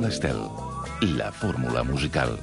Fórmula Estel, la fórmula musical.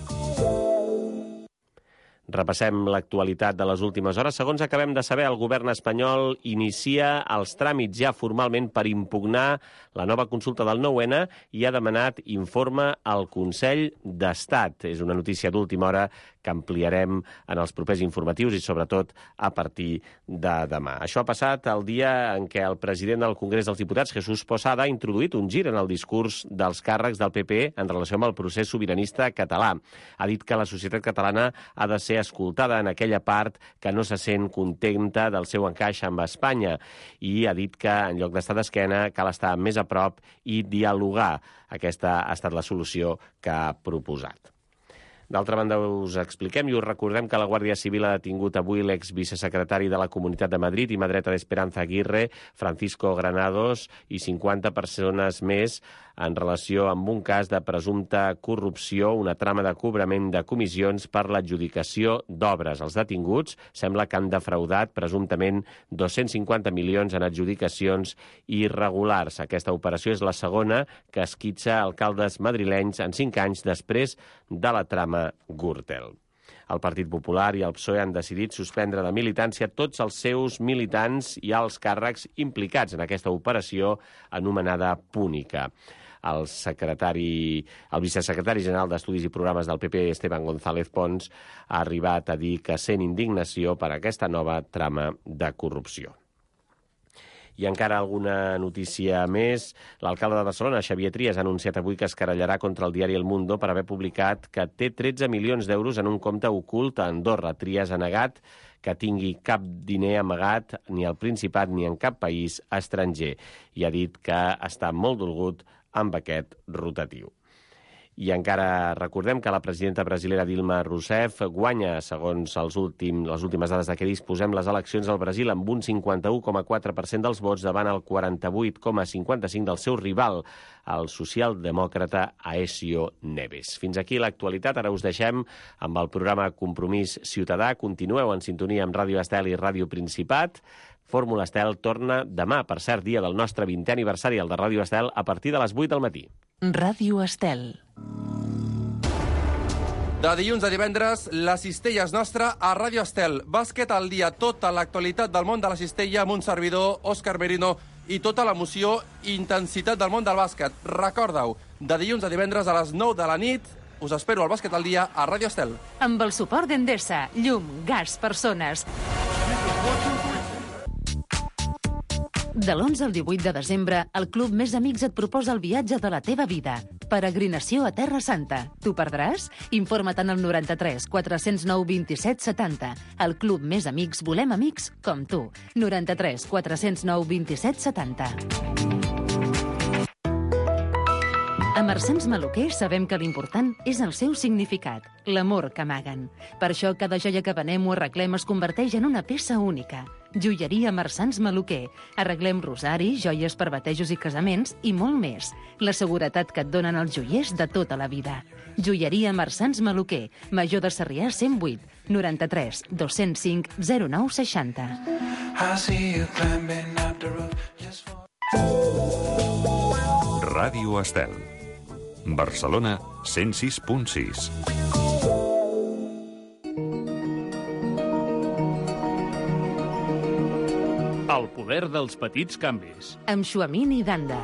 Repassem l'actualitat de les últimes hores. Segons acabem de saber, el govern espanyol inicia els tràmits ja formalment per impugnar la nova consulta del 9-N i ha demanat informe al Consell d'Estat. És una notícia d'última hora que ampliarem en els propers informatius i sobretot a partir de demà. Això ha passat el dia en què el president del Congrés dels Diputats, Jesús Posada, ha introduït un gir en el discurs dels càrrecs del PP en relació amb el procés sobiranista català. Ha dit que la societat catalana ha de ser escoltada en aquella part que no se sent contenta del seu encaix amb Espanya i ha dit que en lloc d'estar d'esquena cal estar més a prop i dialogar. Aquesta ha estat la solució que ha proposat. D'altra banda, us expliquem i us recordem que la Guàrdia Civil ha detingut avui l'exvicesecretari de la Comunitat de Madrid i mà dreta d'Esperanza Aguirre, Francisco Granados, i 50 persones més en relació amb un cas de presumpta corrupció, una trama de cobrament de comissions per l'adjudicació d'obres. Els detinguts sembla que han defraudat presumptament 250 milions en adjudicacions irregulars. Aquesta operació és la segona que esquitxa alcaldes madrilenys en 5 anys després de la trama Gürtel. El Partit Popular i el PSOE han decidit suspendre de militància tots els seus militants i alts càrrecs implicats en aquesta operació anomenada Púnica. El vicesecretari general d'Estudis i Programes del PP, Esteban González Pons, ha arribat a dir que sent indignació per aquesta nova trama de corrupció. I encara alguna notícia més. L'alcalde de Barcelona, Xavier Trias, ha anunciat avui que es querellarà contra el diari El Mundo per haver publicat que té 13 milions d'euros en un compte ocult a Andorra. Trias ha negat que tingui cap diner amagat ni al Principat ni en cap país estranger i ha dit que està molt dolgut amb aquest rotatiu. I encara recordem que la presidenta brasilera Dilma Rousseff guanya, segons les últimes dades de què disposem, les eleccions al Brasil amb un 51,4% dels vots davant el 48,55% del seu rival, el socialdemòcrata Aécio Neves. Fins aquí l'actualitat. Ara us deixem amb el programa Compromís Ciutadà. Continueu en sintonia amb Ràdio Estel i Ràdio Principat. Fórmula Estel torna demà, per cert, dia del nostre 20è aniversari, el de Ràdio Estel, a partir de les 8 del matí. Ràdio Estel. De dilluns a divendres, la cistella és nostra a Ràdio Estel. Bàsquet al dia, tota l'actualitat del món de la cistella amb un servidor, Òscar Merino, i tota l'emoció i intensitat del món del bàsquet. Recorda-ho, de dilluns a divendres a les 9 de la nit, us espero al Bàsquet al dia a Ràdio Estel. Amb el suport d'Endesa, llum, gas, persones. De l'11 al 18 de desembre, el Club Més Amics et proposa el viatge de la teva vida. Peregrinació a Terra Santa. T'ho perdràs? Informa't en el 93 409 27 70. El Club Més Amics volem amics com tu. 93 409 27 70. A Marsans Maluquer sabem que l'important és el seu significat, l'amor que amaguen. Per això cada joia que venem o arreglem es converteix en una peça única. Joieria Marsans Maluquer. Arreglem rosaris, joies per batejos i casaments i molt més. La seguretat que et donen els joiers de tota la vida. Joieria Marsans Maluquer. Major de Sarrià 108 93 205 09 60. Ràdio Estel. Barcelona 106.6. El poder dels petits canvis. Amb Xuamini Danda.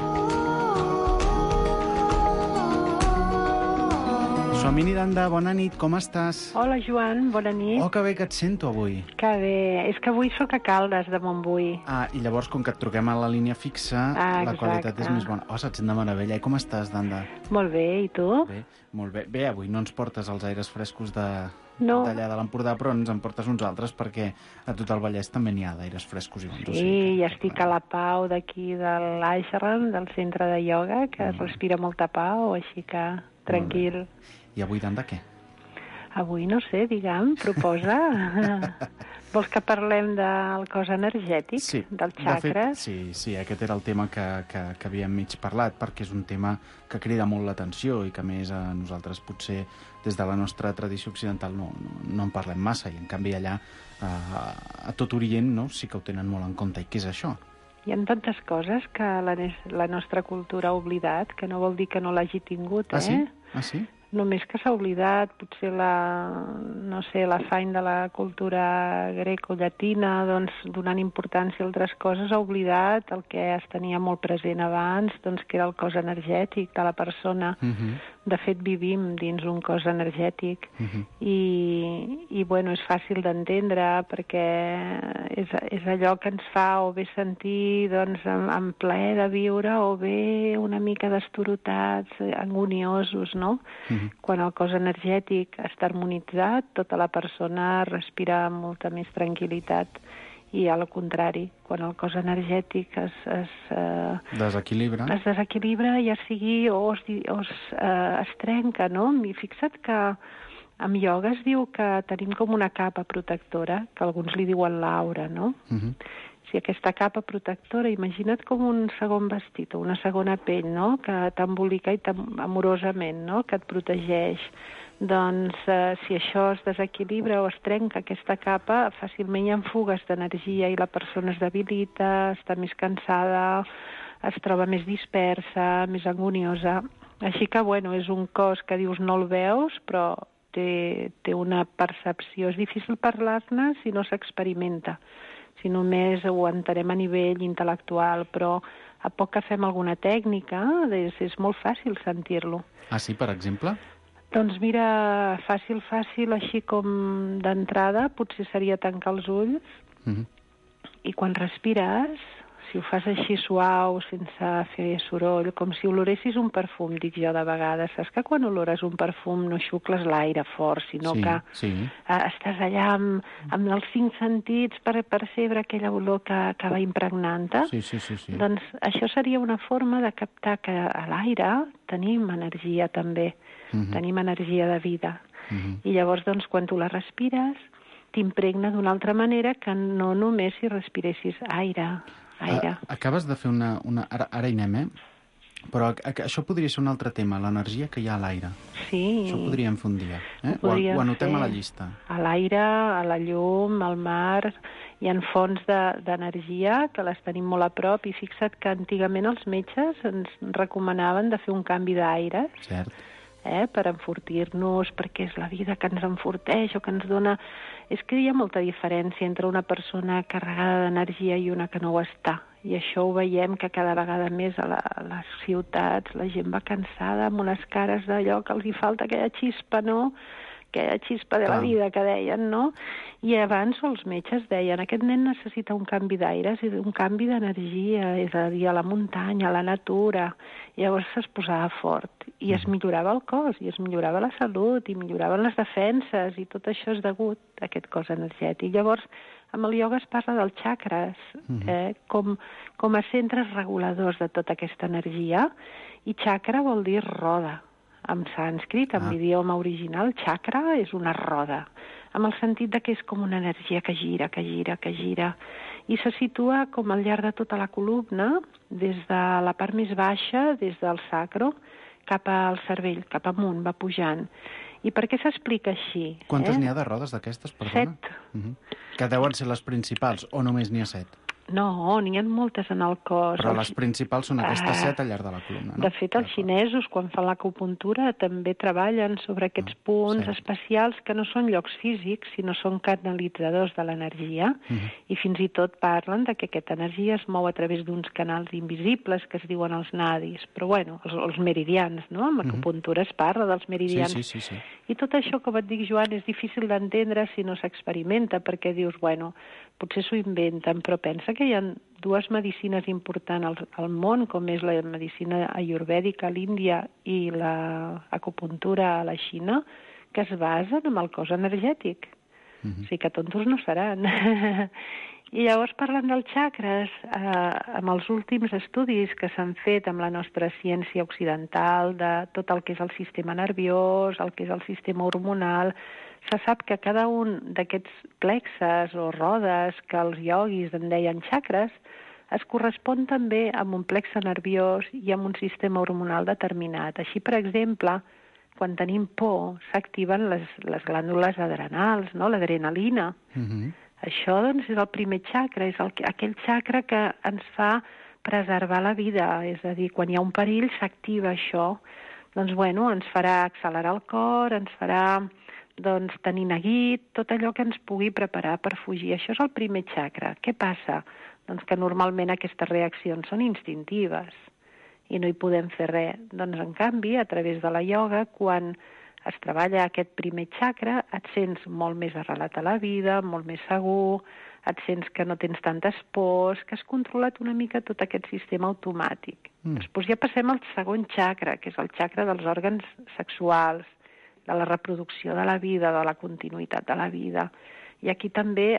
Xuamini Danda, bona nit, com estàs? Hola, Joan, bona nit. Oh, que bé que et sento avui. Que bé. És que avui sóc a Caldes, de Montbui. Ah, i llavors, com que et truquem a la línia fixa, la qualitat és més bona. Oh, se't sent de meravella. I com estàs, Danda? Molt bé, i tu? Bé, molt bé. Bé, avui no ens portes els aires frescos d'allà de l'Empordà, però ens en portes uns altres perquè a tot el Vallès també n'hi ha d'aires frescos i bons. Sí, i estic a la Pau d'aquí de l'Aixerran, del centre de ioga, que respira molta pau, així que tranquil. I avui, Danda, què? Avui, no sé, digue'm, proposa. Vols que parlem del cos energètic, sí, del xacres? Sí, aquest era el tema que havíem mig parlat, perquè és un tema que crida molt l'atenció i que, a més, a nosaltres potser des de la nostra tradició occidental no en parlem massa, i en canvi allà a tot Orient sí que ho tenen molt en compte. I què és això? Hi ha tantes coses que la nostra cultura ha oblidat, que no vol dir que no l'hagi tingut, Ah, sí? Ah, sí? Només que s'ha oblidat, potser l'afany de la cultura greco-llatina, doncs, donant importància a altres coses, ha oblidat el que es tenia molt present abans, doncs, que era el cos energètic de la persona. De fet, vivim dins un cos energètic i bueno, és fàcil d'entendre perquè és allò que ens fa o bé sentir doncs, amb plaer de viure o bé una mica destorotats, angoniosos, no? Quan el cos energètic està harmonitzat, tota la persona respira amb molta més tranquil·litat. I al contrari, quan el cos energètic es desequilibra, ja sigui o es trenca, no? I fixa't que en ioga es diu que tenim com una capa protectora, que alguns li diuen l'aura, no? Si aquesta capa protectora, imagina't com un segon vestit o una segona pell, no?, que t'embolica i amorosament, no?, que et protegeix. Doncs si això es desequilibra o es trenca aquesta capa, fàcilment hi ha fugues d'energia i la persona es debilita, està més cansada, es troba més dispersa, més angoniosa. Així que, bueno, és un cos que dius no el veus, però té una percepció. És difícil parlar-ne si no s'experimenta, si només ho entenem a nivell intel·lectual, però a poc que fem alguna tècnica és molt fàcil sentir-lo. Ah, sí, per exemple? Doncs mira, fàcil, així com d'entrada, potser seria tancar els ulls i quan respires, si ho fas així suau, sense fer soroll, com si oloressis un perfum, dic jo de vegades. Saps que quan olores un perfum no xucles l'aire fort, sinó que estàs allà amb els 5 sentits per percebre aquella olor que va impregnant-te? Sí. Doncs això seria una forma de captar que a l'aire tenim energia també, tenim energia de vida. I llavors, doncs, quan tu la respires, t'impregna d'una altra manera que no només si respiressis aire. Acabes de fer una... Ara hi anem, Però això podria ser un altre tema, l'energia que hi ha a l'aire. Sí. Això ho podríem fer un dia. Ho anotem a la llista. A l'aire, a la llum, al mar, hi ha fonts d'energia que les tenim molt a prop i fixa't que antigament els metges ens recomanaven de fer un canvi d'aire. Cert. Per enfortir-nos, perquè és la vida que ens enforteix o que ens dona... És que hi ha molta diferència entre una persona carregada d'energia i una que no ho està. I això ho veiem que cada vegada més a les ciutats la gent va cansada amb unes cares d'allò que els hi falta aquella xispa, no?, aquella xispa de la vida que deien, no? I abans els metges deien aquest nen necessita un canvi d'aires i un canvi d'energia, és a dir, a la muntanya, a la natura. I llavors es posava fort i es millorava el cos, i es millorava la salut, i milloraven les defenses, i tot això és degut a aquest cos energètic. Llavors, amb el ioga es parla dels xakres, com a centres reguladors de tota aquesta energia, i chakra vol dir roda. En sànscrit, en l'idioma original, chakra és una roda, amb el sentit de que és com una energia que gira, i se situa com al llarg de tota la columna, des de la part més baixa, des del sacro, cap al cervell, cap amunt, va pujant. I per què s'explica així? Quantes n'hi ha de rodes d'aquestes, perdona? 7. Que deuen ser les principals, o només n'hi ha 7? No, n'hi ha moltes en el cos. Però les principals són aquestes 7 al llarg de la columna, no? De fet, els xinesos, quan fan l'acupuntura, també treballen sobre aquests punts especials que no són llocs físics, sinó són canalitzadors de l'energia, i fins i tot parlen de que aquesta energia es mou a través d'uns canals invisibles que es diuen els nadis, però bueno, els meridians, no? En l'acupuntura es parla dels meridians. Sí. I tot això, com et dic, Joan, és difícil d'entendre si no s'experimenta, perquè dius, bueno, potser s'ho inventen, però pensa que hi ha dues medicines importants al món, com és la medicina ayurvèdica a l'Índia i l'acupuntura a la Xina, que es basen en el cos energètic. O sigui que tontos no seran. I llavors, parlant dels xacres, amb els últims estudis que s'han fet amb la nostra ciència occidental, de tot el que és el sistema nerviós, el que és el sistema hormonal, se sap que cada un d'aquests plexes o rodes que els ioguis en deien xacres es correspon també amb un plexe nerviós i amb un sistema hormonal determinat. Així, per exemple, quan tenim por, s'activen les glàndules adrenals, no? L'adrenalina. Això, doncs, és el primer xacra, és aquell xacra que ens fa preservar la vida, és a dir, quan hi ha un perill s'activa això, doncs, bueno, ens farà accelerar el cor, ens farà, doncs, tenir neguit, tot allò que ens pugui preparar per fugir. Això és el primer xacra. Què passa? Doncs que normalment aquestes reaccions són instintives i no hi podem fer res. Doncs, en canvi, a través de la ioga, quan es treballa aquest primer xacra, et sents molt més arrelat a la vida, molt més segur, et sents que no tens tantes pors, que has controlat una mica tot aquest sistema automàtic. Després ja passem al segon xacra, que és el xacra dels òrgans sexuals, de la reproducció de la vida, de la continuïtat de la vida. I aquí també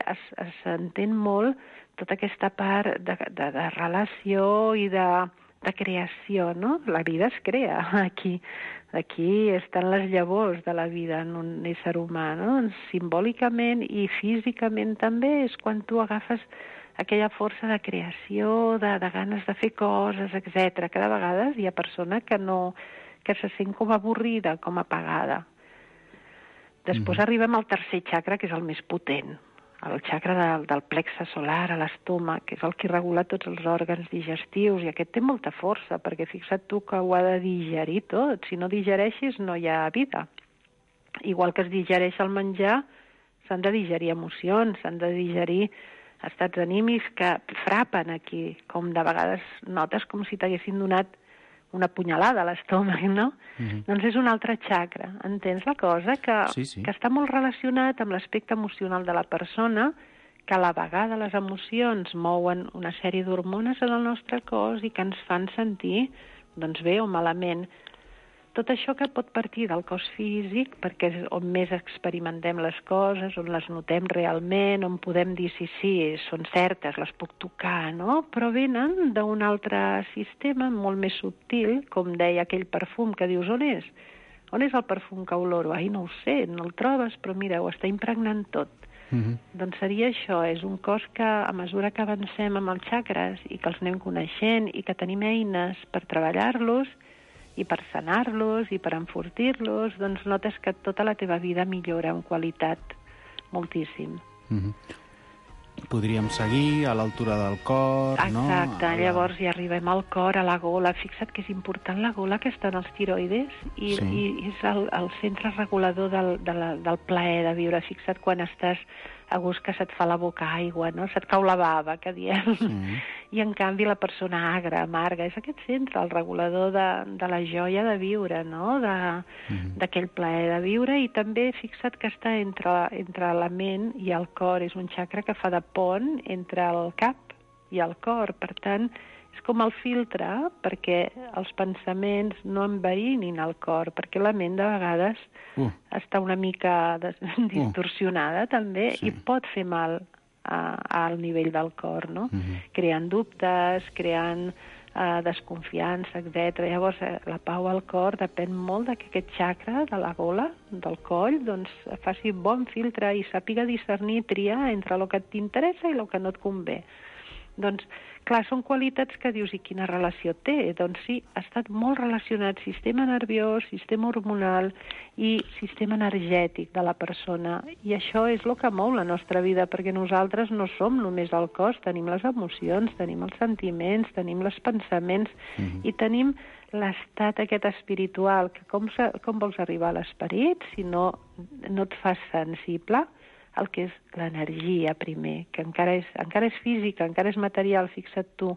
s'entén molt tota aquesta part de relació i de creació, no? La vida es crea aquí. Aquí estan les llavors de la vida en un ésser humà, no? Simbòlicament i físicament també és quan tu agafes aquella força de creació, de ganes de fer coses, etc. Cada vegada hi ha persona que se sent com avorrida, com apagada. Després arribem al tercer xacra, que és el més potent, el xacra del plexe solar, a l'estómac, que és el que regula tots els òrgans digestius, i aquest té molta força, perquè fixa't tu que ho ha de digerir tot. Si no digereixis, no hi ha vida. Igual que es digereix el menjar, s'han de digerir emocions, s'han de digerir estats anímics que frapen aquí, com de vegades notes com si t'haguessin donat una punyalada a l'estómac, no? Doncs és un altre xacra. Entens la cosa? Que està molt relacionat amb l'aspecte emocional de la persona, que a la vegada les emocions mouen una sèrie d'hormones en el nostre cos i que ens fan sentir, doncs, bé o malament. Tot això que pot partir del cos físic, perquè és on més experimentem les coses, on les notem realment, on podem dir sí, són certes, les puc tocar, no? Però venen d'un altre sistema molt més subtil, com deia aquell perfum que dius, on és? On és el perfum que oloro? Ai, no ho sé, no el trobes, però mira, ho està impregnant tot. Doncs seria això, és un cos que a mesura que avancem amb els xacres i que els anem coneixent i que tenim eines per treballar-los, i per sanar-los i per enfortir-los, doncs notes que tota la teva vida millora en qualitat moltíssim. Podríem seguir a l'altura del cor, no? Exacte, llavors ja arribem al cor, a la gola. Fixa't que és important la gola, que està en els tiroides, i és el centre regulador del plaer de viure. Fixa't quan estàs a gust que se't fa la boca aigua, no? Se't cau la bava, que diem. I en canvi la persona agra, amarga, és aquest centre, el regulador de la joia de viure, no? D'aquell plaer de viure, i també fixa't que està entre la ment i el cor, és un xacra que fa de pont entre el cap i el cor, per tant, és com el filtre perquè els pensaments no enverinin el cor, perquè la ment de vegades està una mica distorsionada també i pot fer mal al nivell del cor, no? Creant dubtes, creant desconfiança, etc. Llavors, la pau al cor depèn molt que aquest xacra de la gola, del coll, doncs faci bon filtre i sàpiga discernir i triar entre el que t'interessa i el que no et convé. Doncs, clar, són qualitats que dius, i quina relació té? Doncs sí, ha estat molt relacionat sistema nerviós, sistema hormonal i sistema energètic de la persona. I això és el que mou la nostra vida, perquè nosaltres no som només el cos, tenim les emocions, tenim els sentiments, tenim els pensaments i tenim l'estat aquest espiritual, que com vols arribar a l'esperit si no et fas sensible el que és l'energia primer, que encara és física, encara és material, fixa't tu,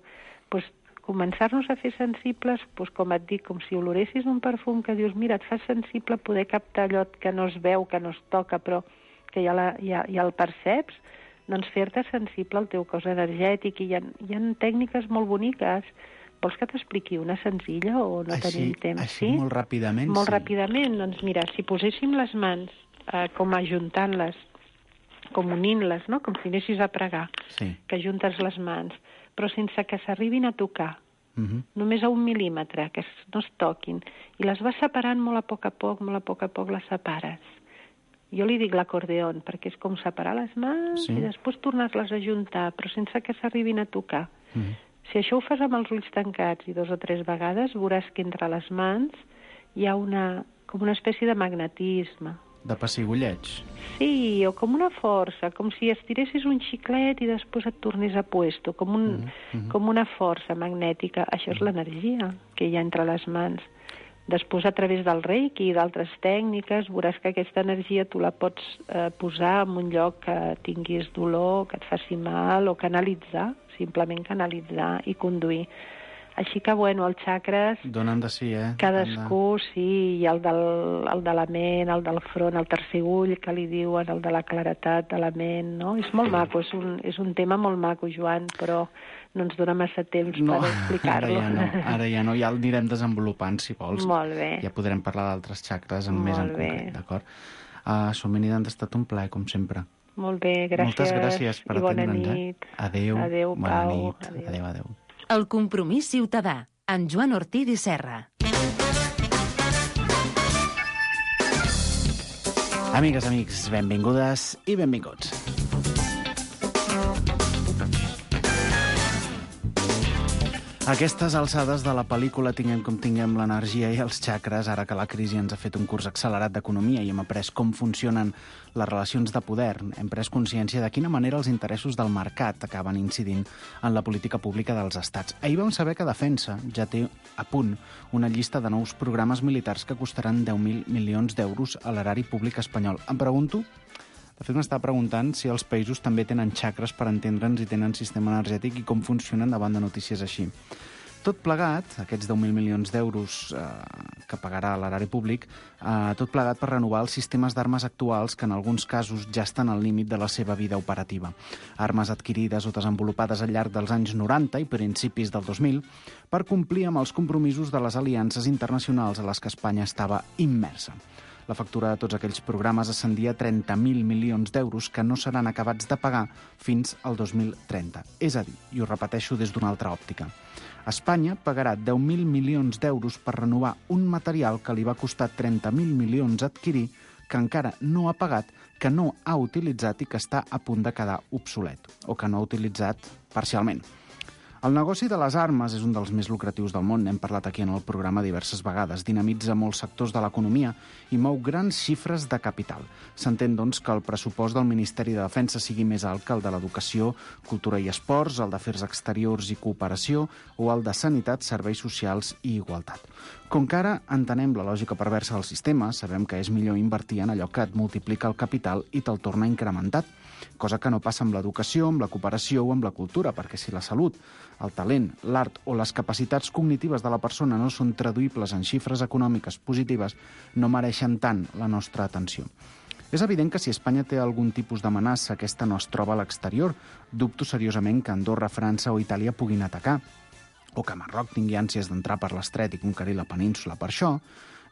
doncs començar-nos a fer sensibles, doncs com et dic, com si oloressis un perfum que dius, mira, et fas sensible a poder captar allò que no es veu, que no es toca, però que ja el perceps, doncs fer-te sensible al teu cos energètic, i hi ha tècniques molt boniques. Vols que t'expliqui una senzilla o no tenim temps? Així, molt ràpidament, Molt ràpidament, doncs mira, si poséssim les mans com ajuntant-les, com unint-les, no? Com si anessis a pregar, que juntes les mans, però sense que s'arribin a tocar, només a 1 mil·límetre, que no es toquin, i les vas separant molt a poc, molt a poc les separes. Jo li dic l'acordeon, perquè és com separar les mans i després tornar-les a juntar, però sense que s'arribin a tocar. Si això ho fas amb els ulls tancats i 2 o 3 vegades, veuràs que entre les mans hi ha com una espècie de magnetisme, De pessigolleig. Sí, o com una força, com si estiressis un xiclet i després et tornés a puesto, com una força magnètica. Això és l'energia que hi ha entre les mans. Després, a través del reiki i d'altres tècniques, veuràs que aquesta energia tu la pots posar en un lloc que tinguis dolor, que et faci mal, o canalitzar, simplement canalitzar i conduir. Així que, bueno, els xacres... Donen de si, Cadascú, sí, i el de la ment, el del front, el tercer ull, que li diuen, el de la claretat de la ment, no? És molt maco, és un tema molt maco, Joan, però no ens dona massa temps per explicar-lo. Ara ja no, ja el anirem desenvolupant, si vols. Molt bé. Ja podrem parlar d'altres xacres més en concret, d'acord? Somenida, ha estat un plaer, com sempre. Molt bé, gràcies. Moltes gràcies per atendre'ns. Bona nit. Adéu. Adéu, bona Pau. nit. Adéu. El compromís ciutadà, amb Joan Ortiz i Serra. Amigues, amics, benvingudes i benvinguts. A aquestes alçades de la pel·lícula tinguem com tinguem l'energia i els xacres, ara que la crisi ens ha fet un curs accelerat d'economia i hem après com funcionen les relacions de poder, hem pres consciència de quina manera els interessos del mercat acaben incidint en la política pública dels estats. Ahir vam saber que Defensa ja té a punt una llista de nous programes militars que costaran 10.000 milions d'euros a l'erari públic espanyol. Em pregunto... De fet, m'està preguntant si els països també tenen xacres per entendre'ns i tenen sistema energètic i com funcionen davant de notícies així. Tot plegat, aquests 10.000 milions d'euros que pagarà l'erari públic, tot plegat per renovar els sistemes d'armes actuals que en alguns casos ja estan al límit de la seva vida operativa. Armes adquirides o desenvolupades al llarg dels anys 90 i principis del 2000 per complir amb els compromisos de les aliances internacionals a les que Espanya estava immersa. La factura de tots aquells programes ascendia a 30.000 milions d'euros que no seran acabats de pagar fins al 2030. És a dir, i ho repeteixo des d'una altra òptica, Espanya pagarà 10.000 milions d'euros per renovar un material que li va costar 30.000 milions adquirir, que encara no ha pagat, que no ha utilitzat i que està a punt de quedar obsolet, o que no ha utilitzat parcialment. El negoci de les armes és un dels més lucratius del món, n'hem parlat aquí en el programa diverses vegades, dinamitza molts sectors de l'economia i mou grans xifres de capital. S'entén, doncs, que el pressupost del Ministeri de Defensa sigui més alt que el de l'Educació, Cultura i Esports, el d'Afers Exteriors i Cooperació o el de Sanitat, Serveis Socials i Igualtat. Com que ara entenem la lògica perversa del sistema, sabem que és millor invertir en allò que et multiplica el capital i te'l torna incrementat, cosa que no passa amb l'educació, amb la cooperació o amb la cultura, perquè si la salut, el talent, l'art o les capacitats cognitives de la persona no són traduïbles en xifres econòmiques positives, no mereixen tant la nostra atenció. És evident que si Espanya té algun tipus d'amenaça, aquesta no es troba a l'exterior. Dubto seriosament que Andorra, França o Itàlia puguin atacar, o que Marroc tingui ànsies d'entrar per l'estret i conquerir la península. Per això,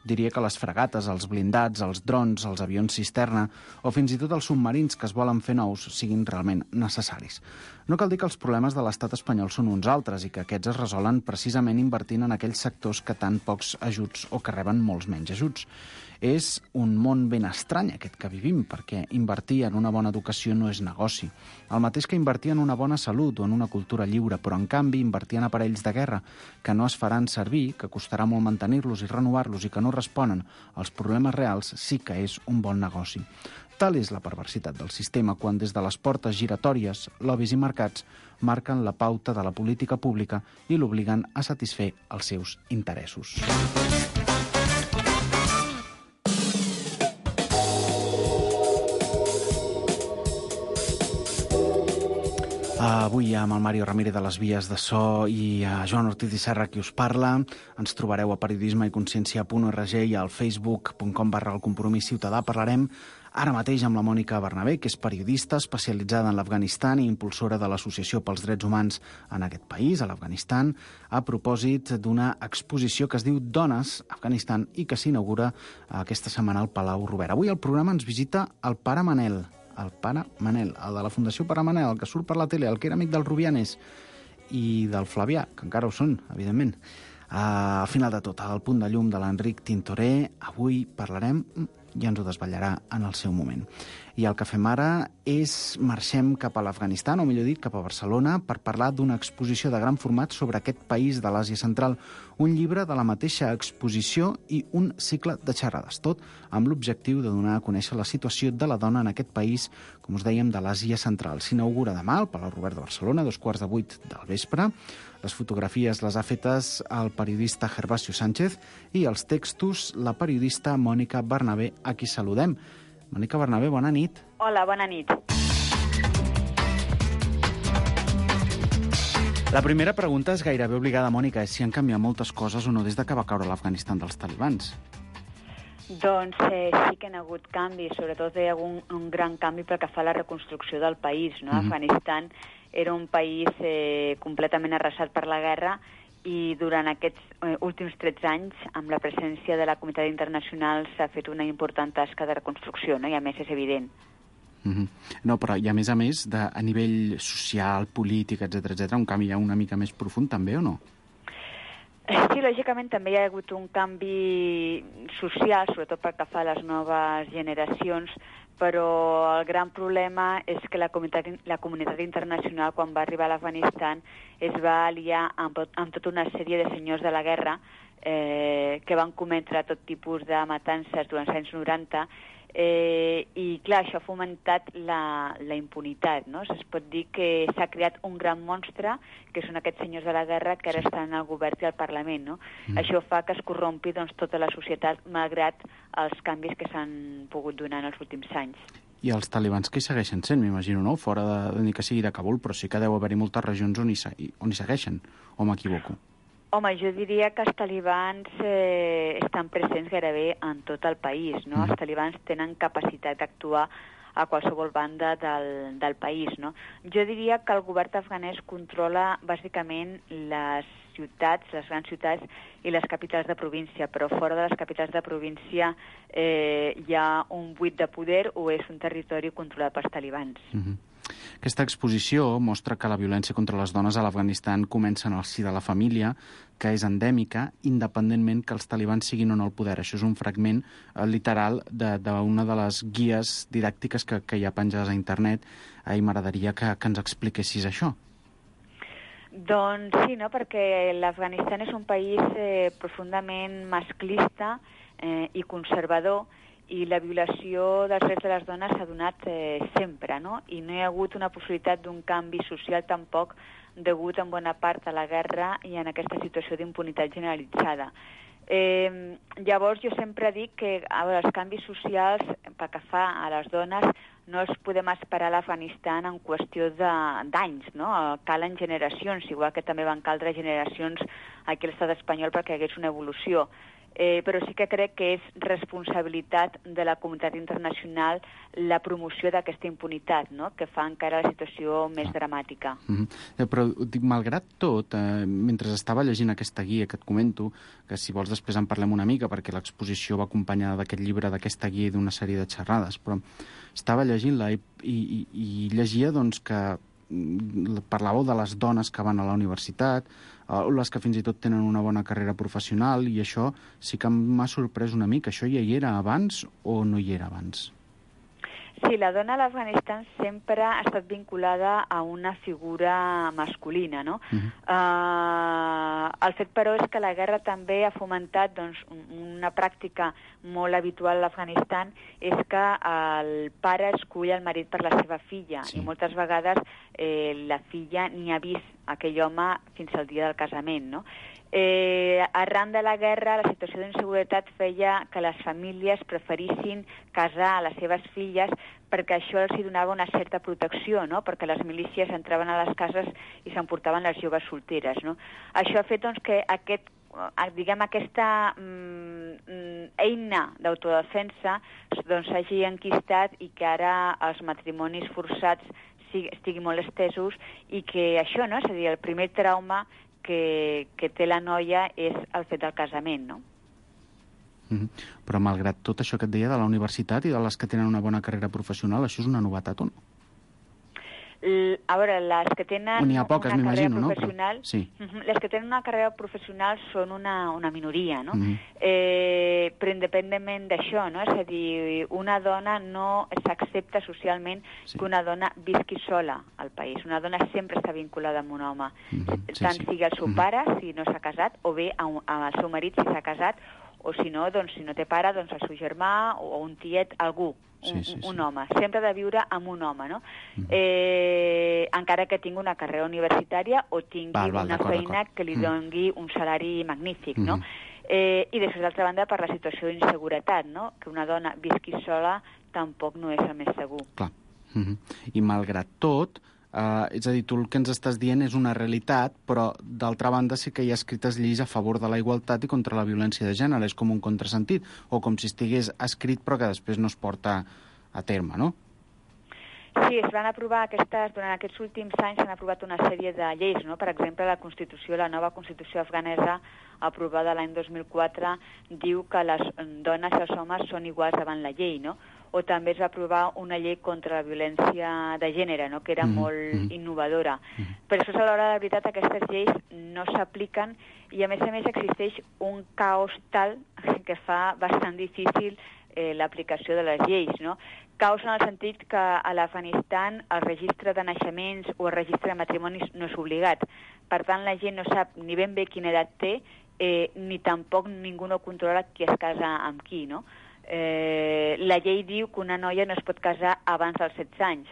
diria que les fregates, els blindats, els drons, els avions cisterna o fins i tot els submarins que es volen fer nous siguin realment necessaris. No cal dir que els problemes de l'estat espanyol són uns altres i que aquests es resolen precisament invertint en aquells sectors que tan pocs ajuts o que reben molts menys ajuts. És un món ben estrany aquest que vivim, perquè invertir en una bona educació no és negoci. El mateix que invertir en una bona salut o en una cultura lliure, però en canvi invertir en aparells de guerra que no es faran servir, que costarà molt mantenir-los i renovar-los i que no responen als problemes reals, sí que és un bon negoci. Tal és la perversitat del sistema quan des de les portes giratòries, lobbies i mercats marquen la pauta de la política pública i l'obliguen a satisfer els seus interessos. Avui amb el Mario Ramírez de les Vies de So i Joan Ortiz i Serra qui us parla. Ens trobareu a periodisme-i-consciència.org i al facebook.com/El Compromís Ciutadà. Parlarem ara mateix amb la Mònica Bernabé, que és periodista especialitzada en l'Afganistan i impulsora de l'Associació pels Drets Humans en aquest país, a l'Afganistan, a propòsit d'una exposició que es diu Dones, Afganistan, i que s'inaugura aquesta setmana al Palau Robert. Avui al programa ens visita el pare Manel, el de la Fundació Pare Manel, el que surt per la tele, el que era amic del Rubianes i del Flavià, que encara ho són, evidentment. Al final de tot, al punt de llum de l'Enric Tintoré, avui parlarem i ens ho desvetllarà en el seu moment. I el que fem ara és marxem cap a l'Afganistan, o millor dit, cap a Barcelona, per parlar d'una exposició de gran format sobre aquest país de l'Àsia Central, un llibre de la mateixa exposició i un cicle de xerrades, tot amb l'objectiu de donar a conèixer la situació de la dona en aquest país, com us dèiem, de l'Àsia Central. S'inaugura demà al Palau Robert de Barcelona, 7:15 del vespre. Les fotografies les ha fetes el periodista Gervasio Sánchez i els textos la periodista Mònica Bernabé, a qui saludem. Mònica Bernabé, bona nit. Hola, bona nit. La primera pregunta és gairebé obligada, Mònica, és si han canviat moltes coses o no des que va caure l'Afganistan dels talibans. Doncs sí que hi ha hagut canvis, sobretot hi ha hagut un gran canvi pel que fa a la reconstrucció del país. No? Afganistan era un país completament arrasat per la guerra i durant aquests últims 13 anys, amb la presència de la comunitat internacional, s'ha fet una important tasca de reconstrucció, no? I a més és evident. No, però i a més, a nivell social, polític, etc, un canvi ja una mica més profund també, o no? Sí, lògicament també hi ha hagut un canvi social, sobretot pel que fa a les noves generacions, però el gran problema és que la comunitat internacional, quan va arribar a l'Afganistan, es va aliar amb tota una sèrie de senyors de la guerra que van cometre tot tipus de matances durant els anys 90, i clar, això ha fomentat la impunitat, no? Es pot dir que s'ha creat un gran monstre, que són aquests senyors de la guerra que ara estan al govern i al Parlament, no? Això fa que es corrompi tota la societat, malgrat els canvis que s'han pogut donar en els últims anys. I els talibans que hi segueixen sent, m'imagino, no? Fora de ni que sigui de Kabul, però sí que deu haver-hi moltes regions on hi segueixen, o m'equivoco? Home, jo diria que els talibans estan presents gairebé en tot el país, no? Els talibans tenen capacitat d'actuar a qualsevol banda del país, no? Jo diria que el govern afganès controla bàsicament les ciutats, les grans ciutats i les capitals de província, però fora de les capitals de província hi ha un buit de poder o és un territori controlat pels talibans. Aquesta exposició mostra que la violència contra les dones a l'Afganistan comença en el si de la família, que és endèmica, independentment que els talibans siguin o no al poder. Això és un fragment literal d'una de les guies didàctiques que hi ha penjades a internet, i m'agradaria que ens expliquessis això. Doncs sí, no? Perquè l'Afganistan és un país profundament masclista i conservador, i la violació dels drets de les dones s'ha donat sempre, no? I no hi ha hagut una possibilitat d'un canvi social tampoc, degut en bona part a la guerra i en aquesta situació d'impunitat generalitzada. Llavors jo sempre dic que els canvis socials pel que fa a les dones no els podem esperar a l'Afganistan en qüestió d'anys, no? Calen generacions, igual que també van caldre generacions aquí a l'estat espanyol perquè hi hagués una evolució. Però sí que crec que és responsabilitat de la comunitat internacional la promoció d'aquesta impunitat, no? Que fa encara la situació més dramàtica. Però, malgrat tot, mentre estava llegint aquesta guia que et comento, que si vols després en parlem una mica, perquè l'exposició va acompanyada d'aquest llibre, d'aquesta guia i d'una sèrie de xerrades, però estava llegint-la i llegia doncs, que parlàveu de les dones que van a la universitat, les que fins i tot tenen una bona carrera professional, i això sí que m'ha sorprès una mica. Això ja hi era abans o no hi era abans? Sí, la dona a l'Afganistan sempre ha estat vinculada a una figura masculina, no? El fet, però, és que la guerra també ha fomentat doncs, una pràctica molt habitual a l'Afganistan, és que el pare escull el marit per la seva filla, i moltes vegades la filla ni ha vist aquell home fins al dia del casament, no? Arran de la guerra, la situació d'inseguretat feia que les famílies preferissin casar les seves filles perquè això els donava una certa protecció, no? Perquè les milícies entraven a les cases i s'emportaven les joves solteres, no? Això ha fet doncs, que aquesta eina d'autodefensa doncs, s'hagi enquistat i que ara els matrimonis forçats estiguin molt estesos i que això, no? És a dir, el primer trauma que té la noia és el fet del casament, no? Però malgrat tot això que et deia de la universitat i de les que tenen una bona carrera professional, això és una novetat o no? A veure, les que tenen una carrera professional, sí. Les que tenen una carrera professional són una minoria, no? però independentment d'això, no? És a dir, una dona no s'accepta socialment que una dona visqui sola al país. Una dona sempre està vinculada amb un home, tant sigui el seu pare, si no s'ha casat, o bé amb el seu marit, si s'ha casat, o si no, doncs, si no té pare, doncs el seu germà o un tiet, algú, un home. Sempre ha de viure amb un home, no? Encara que tingui una carrera universitària o tingui una feina que li doni un salari magnífic, no? I després, d'altra banda, per la situació d'inseguretat, no? Que una dona visqui sola tampoc no és el més segur. Clar. I malgrat tot, és a dir, tu el que ens estàs dient és una realitat, però d'altra banda sí que hi ha escrites lleis a favor de la igualtat i contra la violència de gènere. És com un contrasentit, o com si estigués escrit però que després no es porta a terme, no? Sí, es van aprovar durant aquests últims anys s'han aprovat una sèrie de lleis, no? Per exemple, la nova Constitució afganesa aprovada l'any 2004 diu que les dones i els homes són iguals davant la llei, no? O també es va aprovar una llei contra la violència de gènere, no? Que era molt innovadora. Però després, a l'hora de la veritat, aquestes lleis no s'apliquen i, a més existeix un caos tal que fa bastant difícil l'aplicació de les lleis, no? Caos en el sentit que a l'Afganistan el registre de naixements o el registre de matrimonis no és obligat. Per tant, la gent no sap ni ben bé quina edat té, ni tampoc ningú no controla qui es casa amb qui, no? La llei diu que una noia no es pot casar abans dels 16 anys,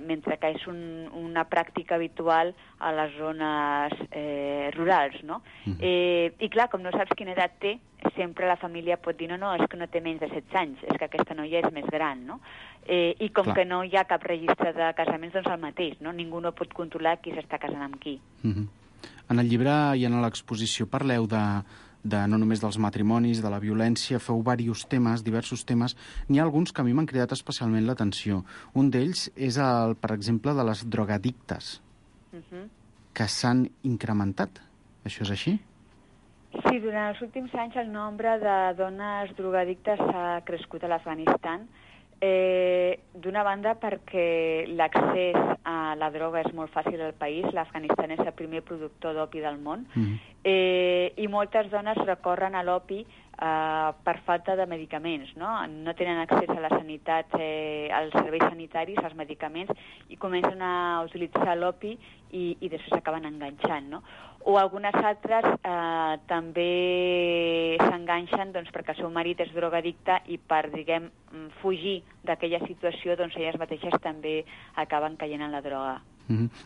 mentre que és una pràctica habitual a les zones rurals, no? I clar, com no saps quina edat té, sempre la família pot dir no, és que no té menys de 16 anys, és que aquesta noia és més gran, no? I com que no hi ha cap registre de casaments, doncs el mateix, no? Ningú no pot controlar qui s'està casant amb qui. En el llibre i en l'exposició parleu de no només dels matrimonis, de la violència, feu diversos temes. N'hi ha alguns que a mi m'han cridat especialment l'atenció. Un d'ells és, per exemple, de les drogadictes, que s'han incrementat. Això és així? Sí, durant els últims anys el nombre de dones drogadictes ha crescut a l'Afganistan. D'una banda perquè l'accés a la droga és molt fàcil al país, l'Afganistan és el primer productor d'opi del món, i moltes dones recorren a l'opi per falta de medicaments, no? No tenen accés a la sanitat, als serveis sanitaris, als medicaments, i comencen a utilitzar l'opi i després s'acaben enganxant, no? O algunes altres també s'enganxen perquè el seu marit és drogadicte i per, fugir d'aquella situació, elles mateixes també acaben caient en la droga.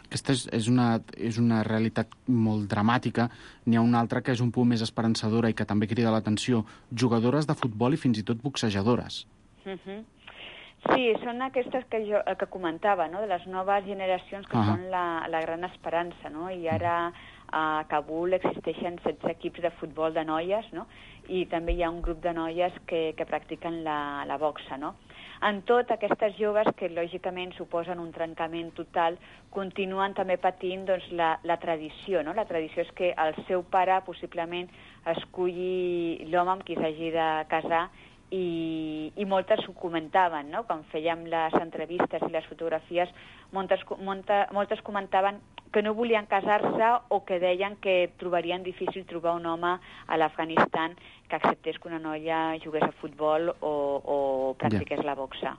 Aquesta és una realitat molt dramàtica. N'hi ha una altra que és un punt més esperançadora i que també crida l'atenció. Jugadores de futbol i fins i tot boxejadores. Sí, són aquestes que comentava, no? De les noves generacions que són la gran esperança, no? I ara a Kabul existeixen 16 equips de futbol de noies, no? I també hi ha un grup de noies que practiquen la boxa, no? En tot, aquestes joves, que lògicament suposen un trencament total, continuen també patint la tradició, no? La tradició és que el seu pare possiblement esculli l'home amb qui s'hagi de casar i moltes ho comentaven, no? Quan fèiem les entrevistes i les fotografies, moltes comentaven que no volien casar-se o que deien que trobarien difícil trobar un home a l'Afganistan que acceptés que una noia jugués a futbol o practiqués la boxa.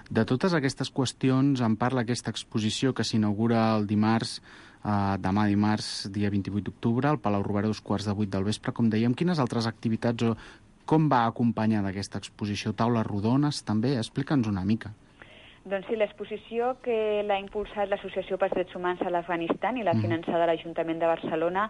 De totes aquestes qüestions en parla aquesta exposició que s'inaugura el dimarts, demà dimarts, dia 28 d'octubre, al Palau Robert, 7:15 del vespre, com dèiem. Quines altres activitats o com va acompanyar d'aquesta exposició? Taules rodones, també? Explica'ns una mica. Doncs sí, l'exposició que l'ha impulsat l'Associació pels Drets Humans a l'Afganistan i l'ha finançada l'Ajuntament de Barcelona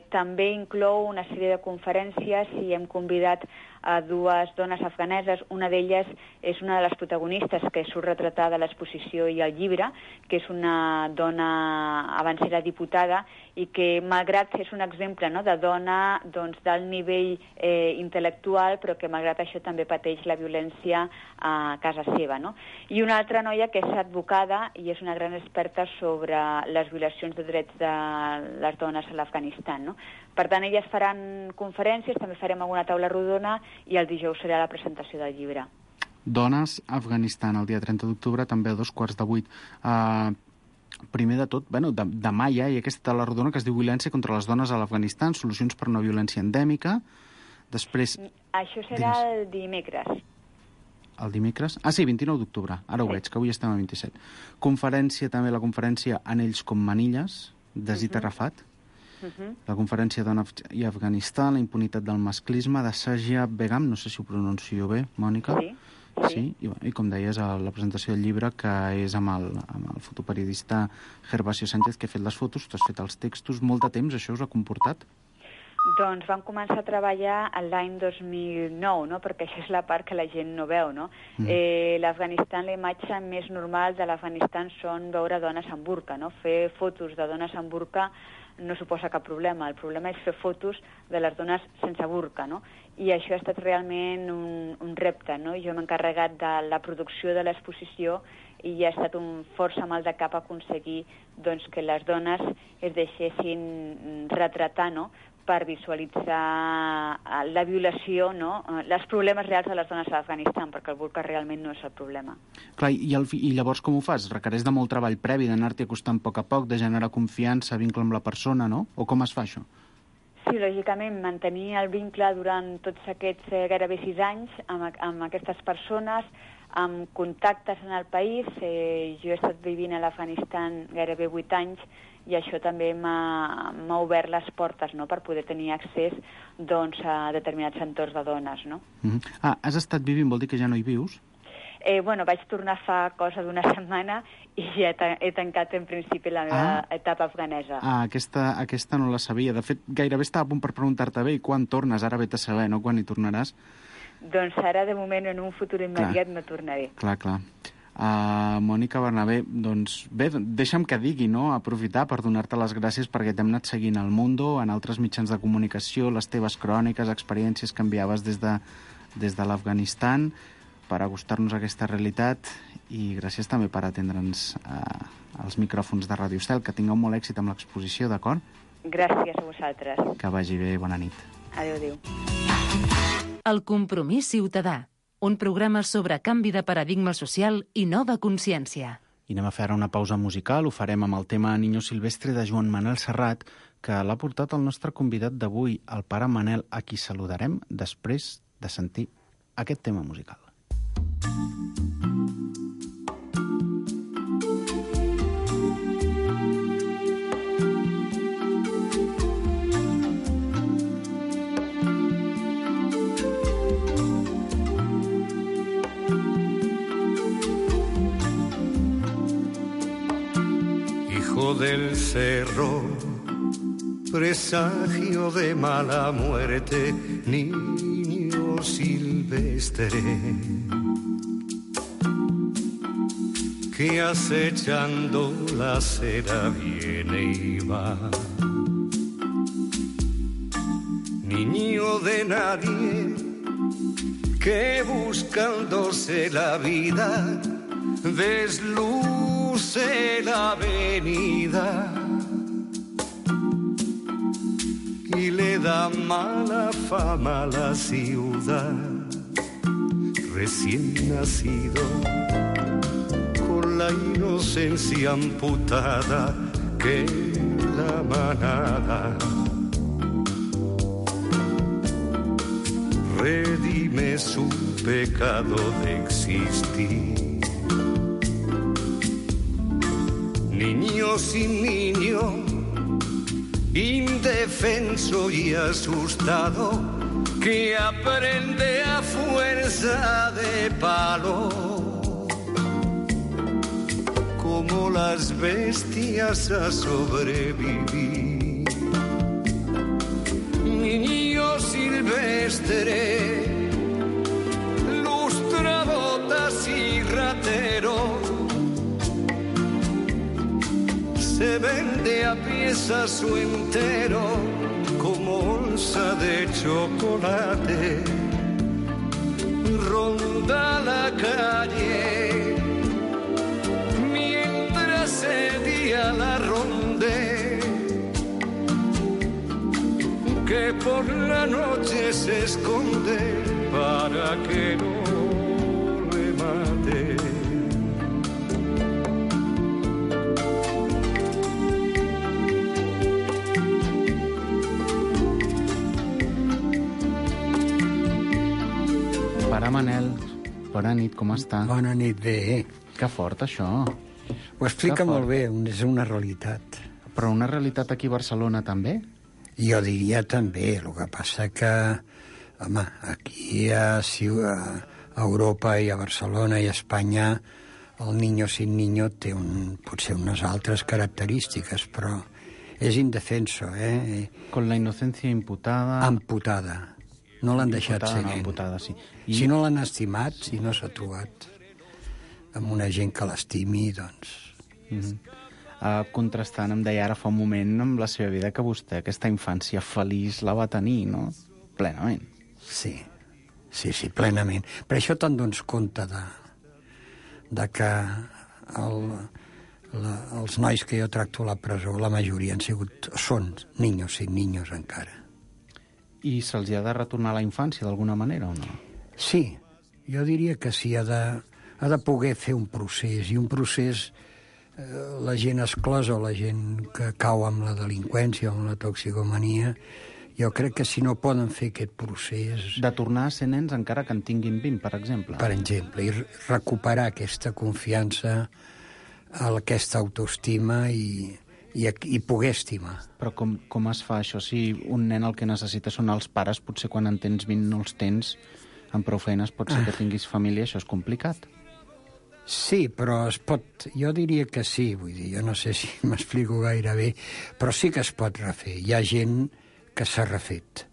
també inclou una sèrie de conferències i hem convidat a dues dones afganeses. Una d'elles és una de les protagonistes que surt retratada a l'exposició i al llibre, que és una dona, abans era diputada, i que, malgrat és un exemple, no?, de dona d'alt nivell intel·lectual, però que malgrat això també pateix la violència a casa seva, no? I una altra noia que és advocada i és una gran experta sobre les violacions de drets de les dones a l'Afganistan, no? Per tant, elles faran conferències, també farem alguna taula rodona i el dijous serà la presentació del llibre. Dones a Afganistan, el dia 30 d'octubre, també a 7:15. Primer de tot, demà hi ha aquesta taula rodona que es diu Violència contra les dones a l'Afganistan, solucions per una violència endèmica. Després... Això serà el dimecres. El dimecres? Ah, sí, 29 d'octubre. Ara ho veig, que avui estem a 27. Conferència, també la conferència Anells com manilles, de Zita Arafat. La conferència Dona i Afganistan, la impunitat del masclisme, de Sajia Begum, no sé si ho pronuncio bé, Mònica. Sí. I com deies, la presentació del llibre, que és amb el fotoperiodista Gervasio Sánchez, que ha fet les fotos, tu has fet els textos. Molt de temps, això us ha comportat? Doncs vam començar a treballar l'any 2009, no? Perquè això és la part que la gent no veu, no? L'Afganistan, la imatge més normal de l'Afganistan són veure dones amb burca, no? Fer fotos de dones amb burca no suposa cap problema. El problema és fer fotos de les dones sense burca, no? I això ha estat realment un repte, no? Jo m'he encarregat de la producció de l'exposició i ha estat un força mal de cap aconseguir doncs, que les dones es deixessin retratar, no?, per visualitzar la violació, no?, els problemes reals de les dones a l'Afganistan, perquè el burca realment no és el problema. Clar, i llavors com ho fas? Requereix de molt treball previ, d'anar-t'hi acostant a poc, de generar confiança, vincle amb la persona, no? O com es fa això? Sí, lògicament, mantenir el vincle durant tots aquests gairebé 6 anys amb aquestes persones, amb contactes en el país. Jo he estat vivint a l'Afganistan gairebé 8 anys i això també m'ha obert les portes, no?, per poder tenir accés doncs, a determinats entorns de dones. No? Has estat vivint, vol dir que ja no hi vius? Bueno, vaig tornar fa cosa d'una setmana i ja he tancat en principi la meva etapa afganesa. Aquesta no la sabia. De fet, gairebé estava a punt per preguntar-te bé, i quan tornes? Ara vet a saber, no?, quan hi tornaràs? Doncs ara, de moment, en un futur immediat no tornaré. Clar. Mònica Bernabé, doncs bé, deixa'm que digui, no?, aprofitar per donar-te les gràcies perquè t'hem anat seguint al Mundo, en altres mitjans de comunicació, les teves cròniques, experiències que enviaves des de l'Afganistan, per acostar-nos a aquesta realitat, i gràcies també per atendre'ns als micròfons de Ràdio Estel. Que tingueu molt èxit amb l'exposició, d'acord? Gràcies a vosaltres. Que vagi bé, bona nit. Adéu. El compromís ciutadà, un programa sobre canvi de paradigma social i nova consciència. I anem a fer una pausa musical, ho farem amb el tema Niño Silvestre de Joan Manel Serrat, que l'ha portat el nostre convidat d'avui, el pare Manel, a qui saludarem després de sentir aquest tema musical. Hijo del cerro, presagio de mala muerte, niño silvestre, que acechando la acera viene y va. Niño de nadie, que buscándose la vida desluce la avenida y le da mala fama a la ciudad. Recién nacido, con la inocencia amputada que la manada redime su pecado de existir. Niño sin niño, indefenso y asustado, que aprende a fuerza de palo, como las bestias a sobrevivir. Niño silvestre, lustrabotas y ratero, se vende a piezas o entero como onza de chocolate. Ronda la calle mientras el día la ronde, que por la noche se esconde para que no le mate. Pare Manel, bona nit, com està? Bona nit, bé. Que fort, això. Ho explica molt bé, és una realitat. Però una realitat aquí a Barcelona, també? Jo diria també, el que passa que, home, aquí a Europa i a Barcelona i a Espanya el niño sin niño té potser unes altres característiques, però és indefenso, Con la inocencia imputada... Amputada. No l'han deixat ser nen. Amputada, sí. Si no l'han estimat, si no s'ha trobat amb una gent que l'estimi, doncs... Contrastant, em deia ara fa un moment amb la seva vida que vostè aquesta infància feliç la va tenir, no? Plenament. Sí, plenament. Per això te'n dones compte de que els nois que jo tracto a la presó, la majoria són niños sin niños encara. I se'ls ha de retornar a la infància d'alguna manera o no? Sí, jo diria que sí, ha de poder fer un procés, i un procés, la gent exclosa o la gent que cau amb la delinqüència o amb la toxicomania, jo crec que si no poden fer aquest procés... De tornar a ser nens encara que en tinguin 20, per exemple. Per exemple, i recuperar aquesta confiança, aquesta autoestima i poder estimar. Però com es fa això? Si un nen el que necessita són els pares, potser quan en tens 20 no els tens, amb prou feines pot ser que tinguis família, això és complicat. Sí, però es pot... Jo diria que sí, vull dir, jo no sé si m'explico gaire bé, però sí que es pot refer. Hi ha gent que s'ha refet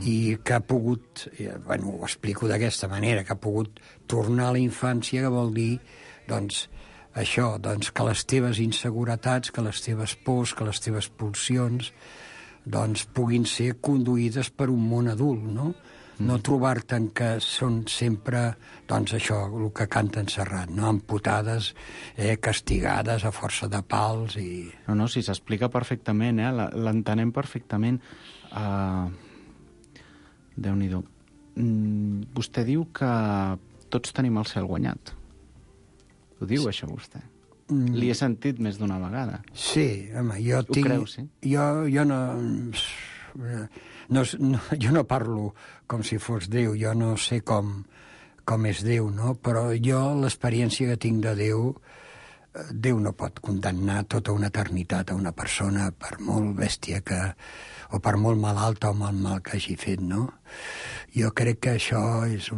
i que ha pogut, ho explico d'aquesta manera, que ha pogut tornar a la infància, que vol dir, doncs, això, doncs, que les teves inseguretats, que les teves pors, que les teves pulsions, doncs, puguin ser conduïdes per un món adult, no? No trobar-te que són sempre, doncs, això, el que canta en Serrat, no? Amputades, castigades a força de pals i... No, sí, s'explica perfectament, l'entenem perfectament. Déu-n'hi-do. Vostè diu que tots tenim el cel guanyat. Ho diu, això, vostè? Li he sentit més d'una vegada. Sí, home, jo tinc... Ho creu, sí? Jo no parlo com si fos Déu, jo no sé com és Déu, no? Però jo, l'experiència que tinc de Déu, Déu no pot condemnar tota una eternitat a una persona per molt bèstia o per molt malalta o mal que hagi fet, no? Jo crec que això és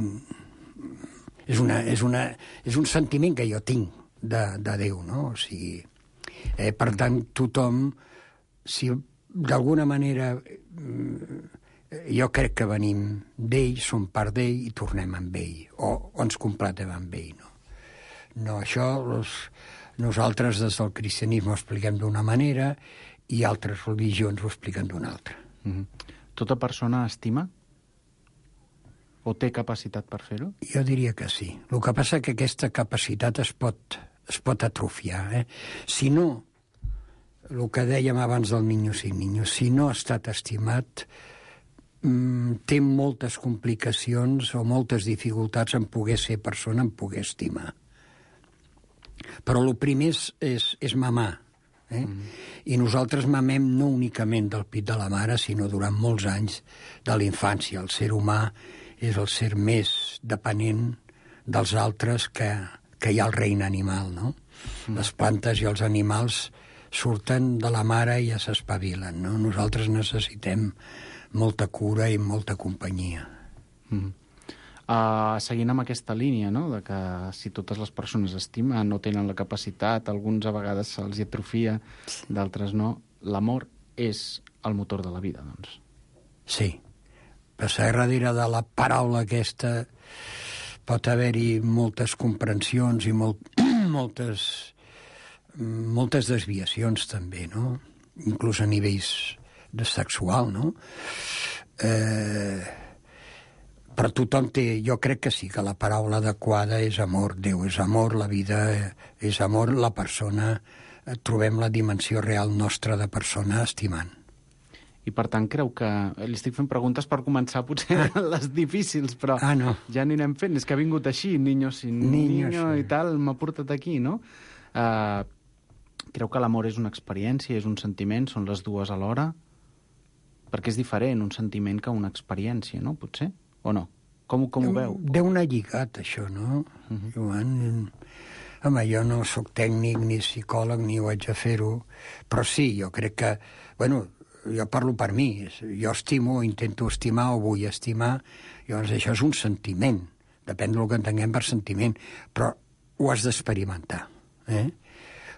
un sentiment que jo tinc de Déu, no? O sigui, per tant, tothom, si d'alguna manera jo crec que venim d'ell, som part d'ell i tornem amb ell, o ens completem amb ell, no? No, això nosaltres des del cristianisme ho expliquem d'una manera i altres religions ho expliquen d'una altra. Tota persona estima? O té capacitat per fer-ho? Jo diria que sí. El que passa és que aquesta capacitat es pot atrofiar. Si no, el que dèiem abans del niño sin niño, si no ha estat estimat, té moltes complicacions o moltes dificultats en poder ser persona, en poder estimar. Però el primer és mamar. I nosaltres mamem no únicament del pit de la mare, sinó durant molts anys de la infància. El ser humà és el ser més dependent dels altres que hi ha el regne animal, no? Les plantes i els animals surten de la mare i ja s'espavilen, no? Nosaltres necessitem molta cura i molta companyia. Seguint amb aquesta línia, no?, de que si totes les persones estimen, no tenen la capacitat, alguns a vegades se'ls atrofia, d'altres no, l'amor és el motor de la vida, doncs. Sí. Passar darrere de la paraula aquesta pot haver-hi moltes comprensions i moltes desviacions també, no? Inclús a nivells de sexual, no? Però tothom té... Jo crec que sí, que la paraula adequada és amor. Déu és amor, la vida és amor, la persona... Trobem la dimensió real nostra de persona estimant. I per tant creu que... Li estic fent preguntes per començar potser les difícils, però no. Ja anirem fent. És que ha vingut així, niño sin niño i tal, m'ha portat aquí, no? Creu que l'amor és una experiència, és un sentiment, són les dues alhora? Perquè és diferent un sentiment que una experiència, no? Potser? O no? Com ho veu? Deu anar lligat, això, no, Joan? Home, jo no sóc tècnic ni psicòleg ni ho haig de fer-ho, però sí, jo crec que... Bueno, jo parlo per mi. Jo estimo, intento estimar o vull estimar. Llavors, això és un sentiment. Depèn del que entenguem per sentiment. Però ho has d'experimentar.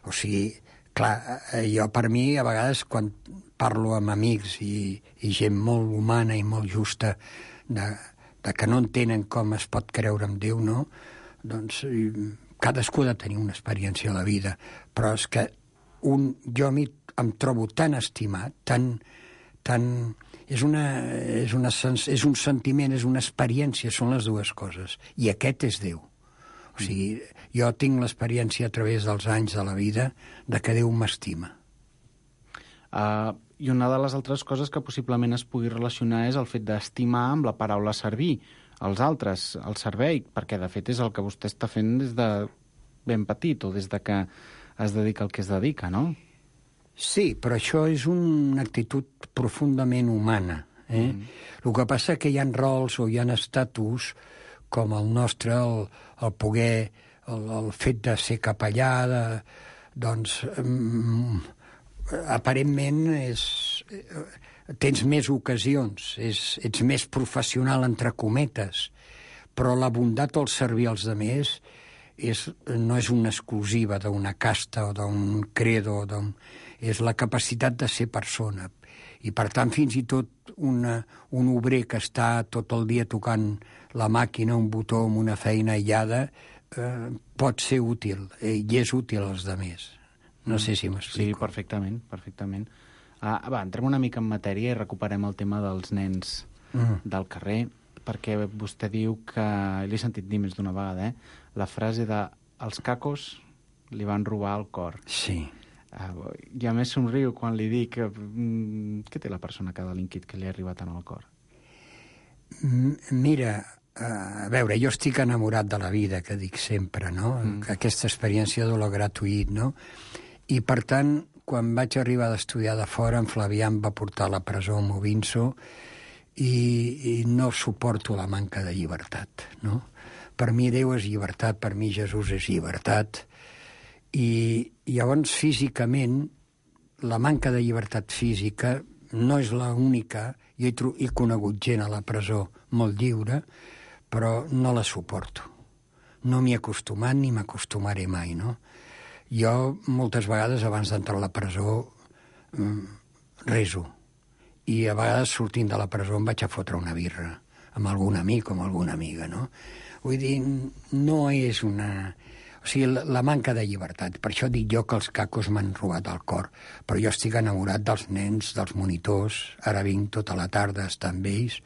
O sigui, clar, jo per mi, a vegades, quan parlo amb amics i gent molt humana i molt justa de que no entenen com es pot creure en Déu, no? Doncs cadascú ha de tenir una experiència a la vida, però és que jo em trobo tan estimat, és un sentiment, és una experiència, són les dues coses, i aquest és Déu. O sigui, jo tinc l'experiència a través dels anys de la vida de que Déu m'estima. I una de les altres coses que possiblement es pugui relacionar és el fet d'estimar amb la paraula servir als altres, el servei, perquè de fet és el que vostè està fent des de ben petit o des de que es dedica al que es dedica, no? Sí, però això és una actitud profundament humana. El que passa és que hi ha rols o hi ha estatus com el nostre, el poder, el fet de ser capellà, doncs aparentment tens més ocasions, ets més professional, entre cometes, però la bondat o el servir als altres no és una exclusiva d'una casta o d'un credo, és la capacitat de ser persona. I, per tant, fins i tot un obrer que està tot el dia tocant la màquina, un botó amb una feina aïllada, pot ser útil, i és útil als altres. No sé si m'explico. Sí, perfectament, perfectament. Va, entrem una mica en matèria i recuperem el tema dels nens del carrer, perquè vostè diu que, l'he sentit dir més d'una vegada, la frase de els cacos li van robar el cor. Sí. I a més somriu quan li dic què té la persona que ha delinquit que li ha arribat tant al cor? Mira, a veure, jo estic enamorat de la vida, que dic sempre, no? Aquesta experiència de lo gratuït, no? I, per tant, quan vaig arribar d'estudiar de fora, en Flavià em va portar a la presó a Movinso i no suporto la manca de llibertat, no? Per mi Déu és llibertat, per mi Jesús és llibertat, i llavors físicament la manca de llibertat física no és l'única. Jo he conegut gent a la presó molt lliure, però no la suporto. No m'hi he acostumat ni m'acostumaré mai, no? Jo, moltes vegades, abans d'entrar a la presó, reso. I a vegades, sortint de la presó, em vaig a fotre una birra amb algun amic o amb alguna amiga, no? Vull dir, no és una... O sigui, la manca de llibertat. Per això dic jo que els cacos m'han robat el cor. Però jo estic enamorat dels nens, dels monitors. Ara vinc tota la tarda a estar amb ells,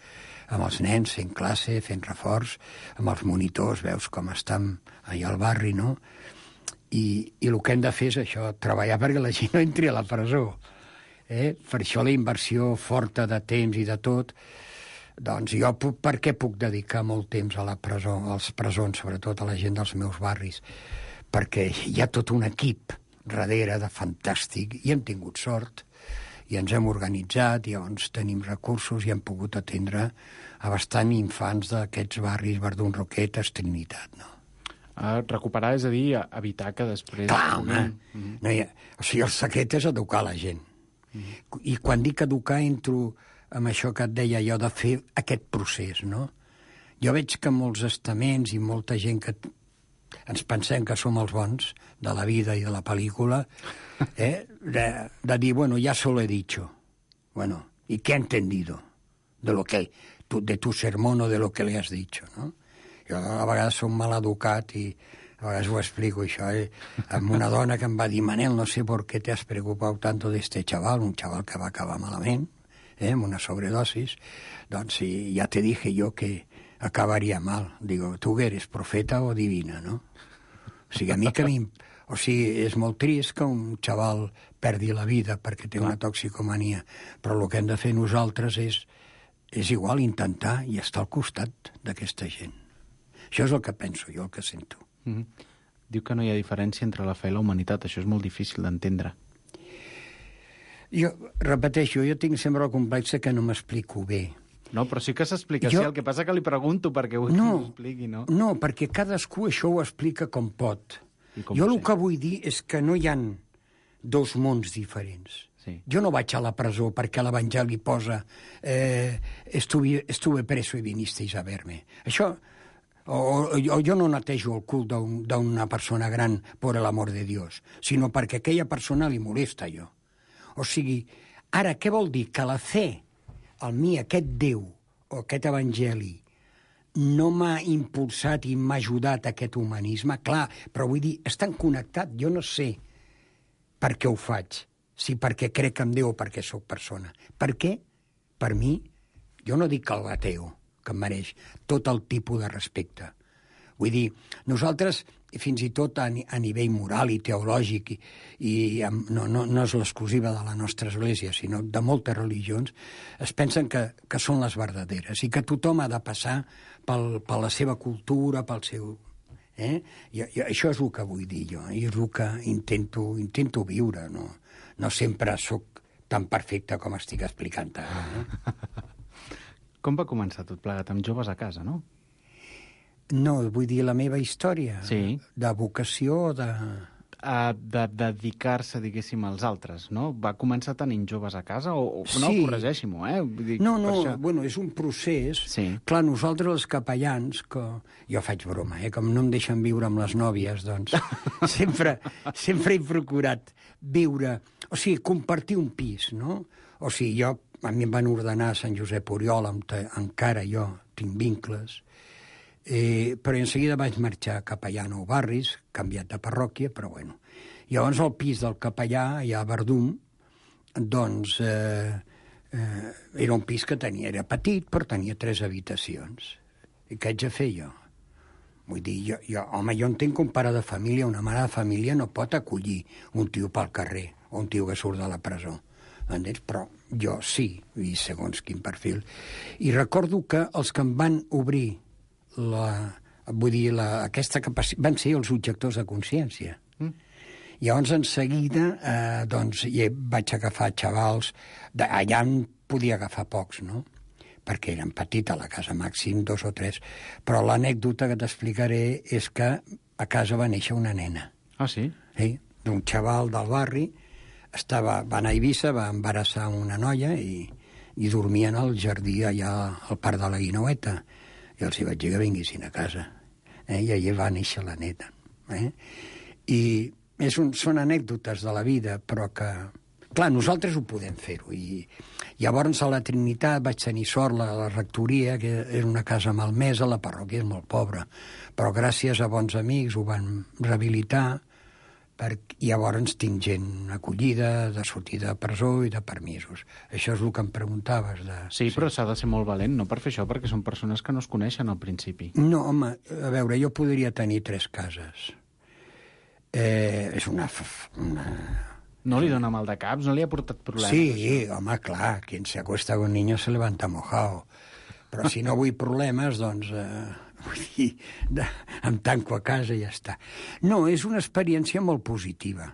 amb els nens, fent classe, fent reforç, amb els monitors, veus com estan allà al barri, no? I el que hem de fer és això, treballar perquè la gent no entri a la presó. Per això la inversió forta de temps i de tot, doncs jo per què puc dedicar molt temps a la presó, als presons, sobretot a la gent dels meus barris? Perquè hi ha tot un equip darrere de fantàstic, i hem tingut sort, i ens hem organitzat, i llavors tenim recursos i hem pogut atendre a bastant infants d'aquests barris, Verdun, Roquetes, Trinitat, no? Recuperar, és a dir, evitar que després... Clar, home! O sigui, el secret és educar la gent. I quan dic educar entro amb això que et deia jo de fer aquest procés, no? Jo veig que molts estaments i molta gent que ens pensem que som els bons de la vida i de la pel·lícula, de dir, bueno, ya se lo he dicho. Bueno, ¿y qué ha entendido? De tu sermón o de lo que le has dicho, no? Jo a vegades som mal educat i a vegades ho explico, això, amb una dona que em va dir, Manel, no sé por qué te has preocupado tanto de este chaval, un chaval que va acabar malament, amb una sobredosis, doncs ja te dije yo que acabaria mal. Digo, tu que eres profeta o divina, no? O sigui, a mi que o sigui, és molt trist que un xaval perdi la vida perquè té una toxicomania, però el que hem de fer nosaltres és igual intentar i estar al costat d'aquesta gent. Això és el que penso jo, el que sento. Diu que no hi ha diferència entre la fe i la humanitat. Això és molt difícil d'entendre. Jo repeteixo, jo tinc sempre el complex que no m'explico bé. No, però sí que s'explica, sí, el que passa que li pregunto perquè vull que m'ho expliqui, no? No, perquè cadascú això ho explica com pot. Jo el que vull dir és que no hi ha dos mons diferents. Sí. Jo no vaig a la presó perquè l'Evangeli posa estuve preso y vinisteis a verme. Això... O jo no netejo el cul d'una persona gran per l'amor de Dios, sinó perquè aquella persona li molesta jo. O sigui, ara, què vol dir? Que la fe, el mi, aquest Déu, o aquest Evangeli, no m'ha impulsat i m'ha ajudat a aquest humanisme? Clar, però vull dir, estan connectats. Jo no sé per què ho faig, si perquè crec en Déu o perquè sóc persona. Per què? Per mi, jo no dic que el ateo, que em mereix tot el tipus de respecte. Vull dir, nosaltres, fins i tot a nivell moral i teològic, no és l'exclusiva de la nostra església, sinó de moltes religions, es pensen que són les verdaderes i que tothom ha de passar per la seva cultura, pel seu... I això és el que vull dir jo, i és el que intento viure. No sempre sóc tan perfecte com estic explicant ara. Com va començar tot plegat? Amb joves a casa, no? No, vull dir la meva història. Sí. De vocació o de... De dedicar-se, diguéssim, als altres, no? Va començar tenint joves a casa? O no, sí. Corregeixi-m'ho, No, bueno, és un procés. Sí. Clar, nosaltres els capellans, que jo faig broma, com no em deixen viure amb les nòvies, doncs sempre he procurat viure... O sigui, compartir un pis, no? O sigui, a mi em van ordenar a Sant Josep Oriol, encara jo tinc vincles, però en seguida vaig marxar a capellà a Nou Barris, canviat de parròquia, però bueno. Llavors el pis del capellà, allà a Verdum, doncs era un pis que era petit, però tenia 3 habitacions. I què haig de fer jo? Vull dir, home, jo entenc que un pare de família, una mare de família no pot acollir un tio pel carrer o un tio que surt de la presó. Entens? Però jo sí, i segons quin perfil. I recordo que els que em van obrir aquesta capacitat van ser els objectors de consciència. Llavors, en seguida, doncs, vaig agafar xavals, allà en podia agafar pocs, no? Perquè eren petits a la casa, màxim 2 o 3. Però l'anècdota que t'explicaré és que a casa va néixer una nena. Ah, sí? Sí, d'un xaval del barri. Va anar a Eivissa, va embarassar una noia i dormien al jardí allà al parc de la Guineueta. I els hi vaig dir que vinguessin a casa. I allà va néixer la neta. I són anècdotes de la vida, però que... Clar, nosaltres ho podem fer-ho. I llavors a la Trinitat vaig tenir sort, la rectoria, que era una casa malmesa, la parròquia és molt pobra, però gràcies a bons amics ho van rehabilitar. I llavors tinc gent acollida, de sortida de presó i de permisos. Això és el que em preguntaves. Sí, però s'ha de ser molt valent, no per fer això, perquè són persones que no es coneixen al principi. No, home, a veure, jo podria tenir 3 cases. És una... No li dona mal de caps? No li ha portat problemes? Sí, home, clar, quien se acuesta con un niño se levanta mojado. Però si no vull problemes, doncs... Vull dir, em tanco a casa i ja està. No, és una experiència molt positiva.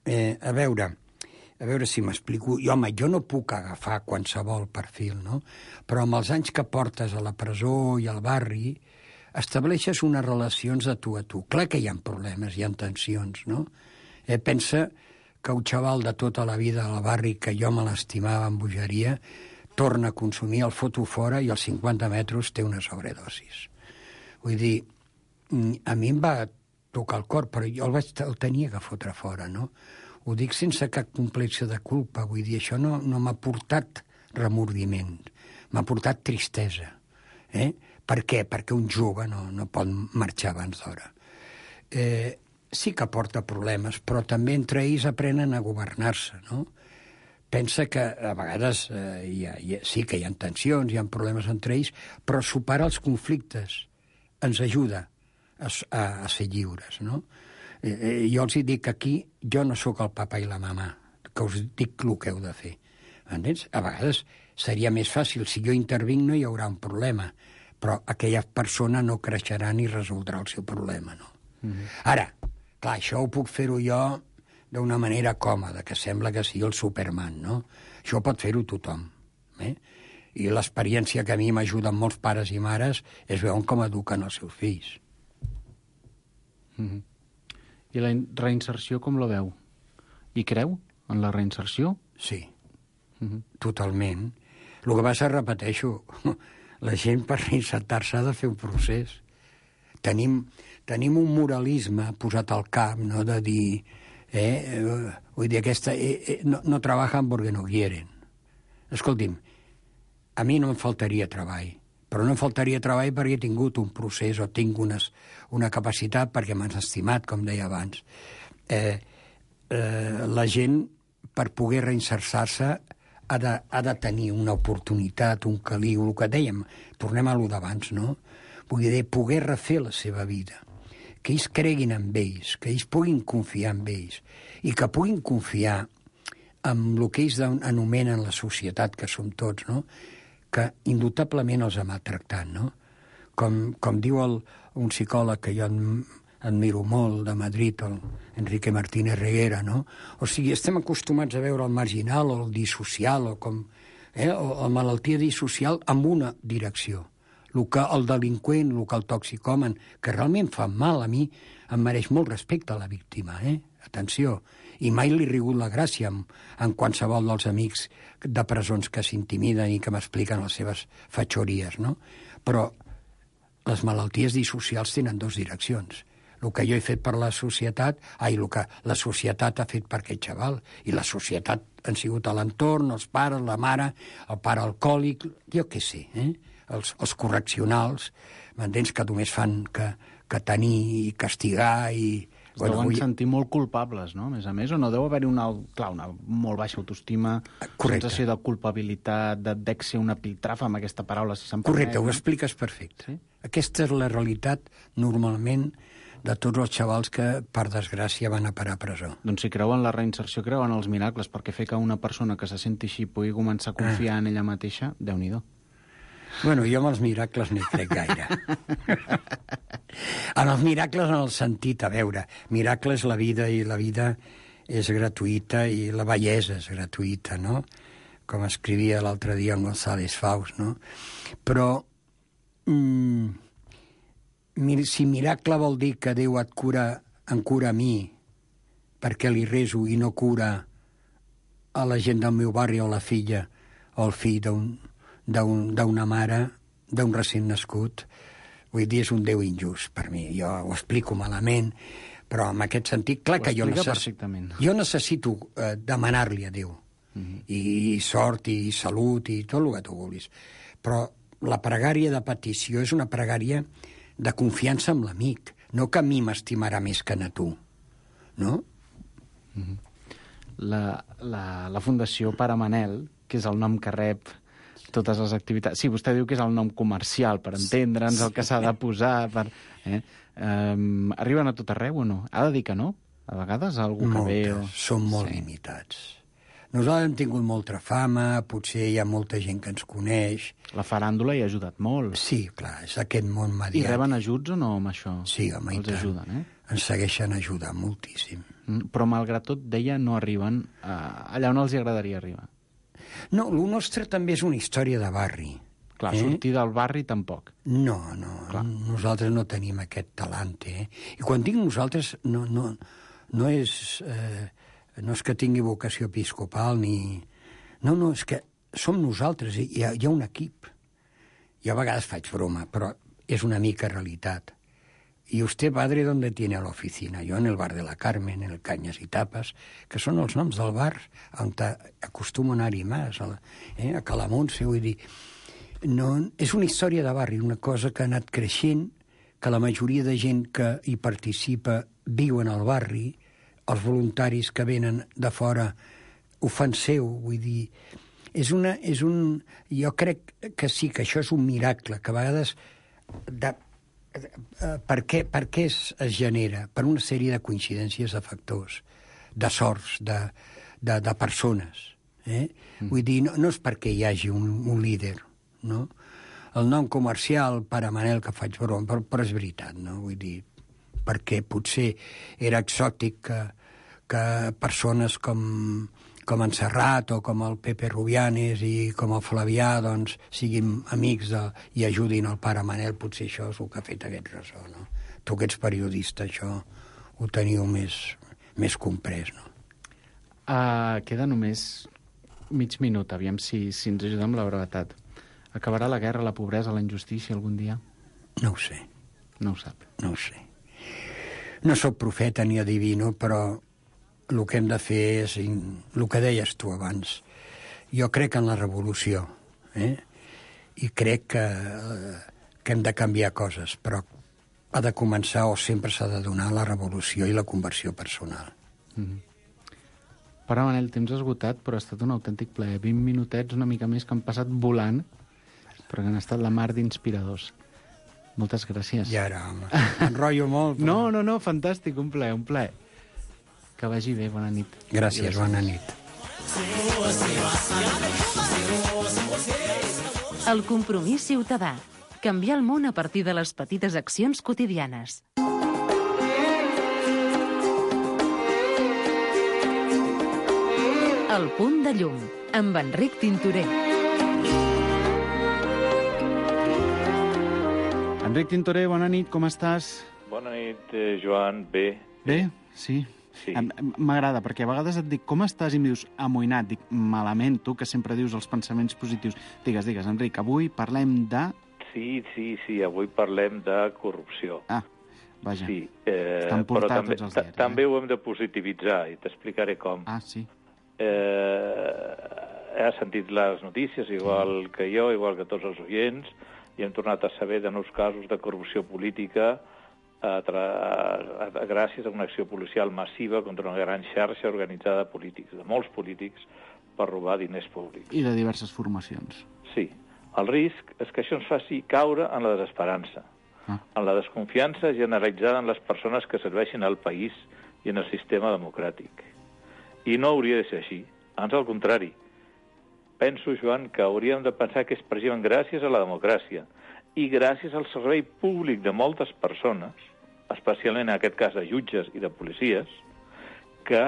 A veure si m'explico. Home, jo no puc agafar qualsevol perfil, no? Però amb els anys que portes a la presó i al barri, estableixes unes relacions de tu a tu. Clar que hi ha problemes, hi ha tensions, no? Pensa que un xaval de tota la vida al barri que jo me l'estimava amb bogeria torna a consumir, el foto fora i als 50 metres té una sobredosis. Vull dir, a mi em va tocar el cor, però jo el tenia que fotre fora, no? Ho dic sense cap complex de culpa, vull dir, això no m'ha portat remordiment, m'ha portat tristesa. Per què? Perquè un jove no pot marxar abans d'hora. Sí que porta problemes, però també entre ells aprenen a governar-se, no? Pensa que a vegades sí que hi ha tensions, hi ha problemes entre ells, però superar els conflictes ens ajuda a ser lliures, no? Jo els dic que aquí jo no sóc el papa i la mama, que us dic el que heu de fer. Entens? A vegades seria més fàcil, si jo intervinc no hi haurà un problema, però aquella persona no creixerà ni resoldrà el seu problema, no? Ara, clar, això ho puc fer-ho jo d'una manera còmoda, que sembla que sigui el Superman, no? Això pot fer-ho tothom. I l'experiència que a mi m'ajuda amb molts pares i mares és veure com eduquen els seus fills. I la reinserció com la veu? Hi creu en la reinserció? Sí, totalment. El que passa, repeteixo, la gent per reinsertar-se ha de fer un procés. Tenim un moralisme posat al cap, no?, de dir... vull dir, no trabajan porque no quieren. Escolti'm, a mi no em faltaria treball, però no em faltaria treball perquè he tingut un procés o tinc una capacitat perquè m'han estimat, com deia abans. La gent, per poder reinserçar-se, ha de tenir una oportunitat, un caliu, el que dèiem, tornem a lo d'abans, no? Vull dir, poder refer la seva vida, que ells creguin en ells, que ells puguin confiar en ells, i que puguin confiar en el que ells anomenen la societat, que som tots, no?, que indubtablement els ha maltractat, no? Com diu un psicòleg que jo admiro molt, de Madrid, el Enrique Martínez Reguera, no? O sigui, estem acostumats a veure el marginal o el dissocial, o la malaltia dissocial amb una direcció. El delinqüent, el toxicòman, que realment fa mal, a mi em mereix molt respecte a la víctima, atenció, i mai li he rigut la gràcia en qualsevol dels amics de presons que s'intimiden i que m'expliquen les seves fatxories, no? Però les malalties dissocials tenen dues direccions. El que jo he fet per la societat, el que la societat ha fet per aquest xaval, i la societat han sigut a l'entorn, els pares, la mare, el pare alcohòlic, jo què sé, els correccionals, m'entens, que només fan que tenir i castigar i... Es deuen sentir molt culpables, no? A més, o no deu haver-hi una molt baixa autoestima, sensació de culpabilitat, d'èxer una piltrafa amb aquesta paraula, si se'n permet. Correcte, ho expliques perfecte. Sí? Aquesta és la realitat, normalment, de tots els xavals que, per desgràcia, van a parar a presó. Doncs si creuen la reinserció, creuen els miracles, perquè fer que una persona que se senti així pugui començar a confiar en ella mateixa, Déu-n'hi-do. Bueno, jo amb els miracles no hi crec gaire. En els miracles, en el sentit, a veure, miracle és la vida i la vida és gratuïta i la bellesa és gratuïta, no? Com escrivia l'altre dia en González Faust, no? Però si miracle vol dir que Déu em cura a mi perquè li reso i no cura a la gent del meu barri o la filla o el fill d'una mare, d'un recent nascut, vull dir, és un Déu injust per mi. Jo ho explico malament, però en aquest sentit, clar que jo necessito demanar-li a Déu. I sort, i salut, i tot el que tu vulguis. Però la pregària de petició és una pregària de confiança amb l'amic, no que a mi m'estimarà més que a tu, no? La Fundació Pare Manel, que és el nom que rep totes les activitats... Sí, vostè diu que és el nom comercial, per entendre'ns el que s'ha de posar... Arriben a tot arreu o no? Ha de dir que no? A vegades algú que ve... Són molt limitats. Nosaltres hem tingut molta fama, potser hi ha molta gent que ens coneix... La faràndula hi ha ajudat molt. Sí, clar, és aquest món mediàtic. I reben ajuts o no amb això? Sí, home, i tant. Els ajuden, Ens segueixen ajudant moltíssim. Però, malgrat tot, deia, no arriben allà on els agradaria arribar. No, el nostre també és una història de barri. Clar, sortir del barri tampoc. No, nosaltres no tenim aquest talent, I quan dic nosaltres, no és que tingui vocació episcopal, ni... No, és que som nosaltres, hi ha un equip. Jo a vegades faig broma, però és una mica realitat. ¿Y usted, padre, dónde tiene la oficina? Yo en el bar de la Carmen, en el Cañas y Tapas, que són els noms del bar on acostumo a anar-hi més, a Calamonse, vull dir... No, és una història de barri, una cosa que ha anat creixent, que la majoria de gent que hi participa viuen al barri, els voluntaris que venen de fora ho fan seu, vull dir... Jo crec que sí, que això és un miracle, que a vegades... Per què es genera? Per una sèrie de coincidències de factors, de sorts, de persones. Vull dir, no és perquè hi hagi un líder, no? El nom comercial, Pare Manel, que faig broma, però és veritat, no? Vull dir, perquè potser era exòtic que persones com com en Serrat o com el Pepe Rubianes i com el Flavià, doncs, siguin amics i ajudin el pare Manel, potser això és el que ha fet aquest ressò, no? Tu que ets periodista, això ho teniu més comprès, no? Queda només mig minut, aviam si ens ajuda amb la brevetat. Acabarà la guerra, la pobresa, la injustícia algun dia? No ho sé. No ho sap. No ho sé. No sóc profeta ni adivino, però el que hem de fer és el que deies tu abans. Jo crec en la revolució, i crec que hem de canviar coses, però ha de començar o sempre s'ha de donar la revolució i la conversió personal. Pare Manel, temps esgotat, però ha estat un autèntic plaer. 20 minutets, una mica més, que han passat volant, però que han estat la mar d'inspiradors. Moltes gràcies. Ja era, home. Enrotllo molt. Però... No, fantàstic, un plaer, un plaer. Que vagi bé, bona nit. Gràcies, bona nit. El compromís ciutadà. Canviar el món a partir de les petites accions quotidianes. El punt de llum, amb Enric Tintorer. Enric Tintorer, bona nit, com estàs? Bona nit, Joan, bé. Bé? Sí. Sí. M'agrada, perquè a vegades et dic com estàs i em dius amoïnat. Dic, malament, tu, que sempre dius els pensaments positius. Digues, Enric, avui parlem de... Sí, avui parlem de corrupció. Vaja. Sí, estan portats tots els diaris. També ho hem de positivitzar i t'explicaré com. Sí. He sentit les notícies, igual que jo, igual que tots els oients, i hem tornat a saber de nous casos de corrupció política gràcies a una acció policial massiva contra una gran xarxa organitzada de polítics, de molts polítics, per robar diners públics. I de diverses formacions. Sí. El risc és que això ens faci caure en la desesperança, en la desconfiança generalitzada en les persones que serveixin al país i en el sistema democràtic. I no hauria de ser així. Ans al contrari. Penso, Joan, que hauríem de pensar que és precisament gràcies a la democràcia i gràcies al servei públic de moltes persones, especialment en aquest cas de jutges i de policies, que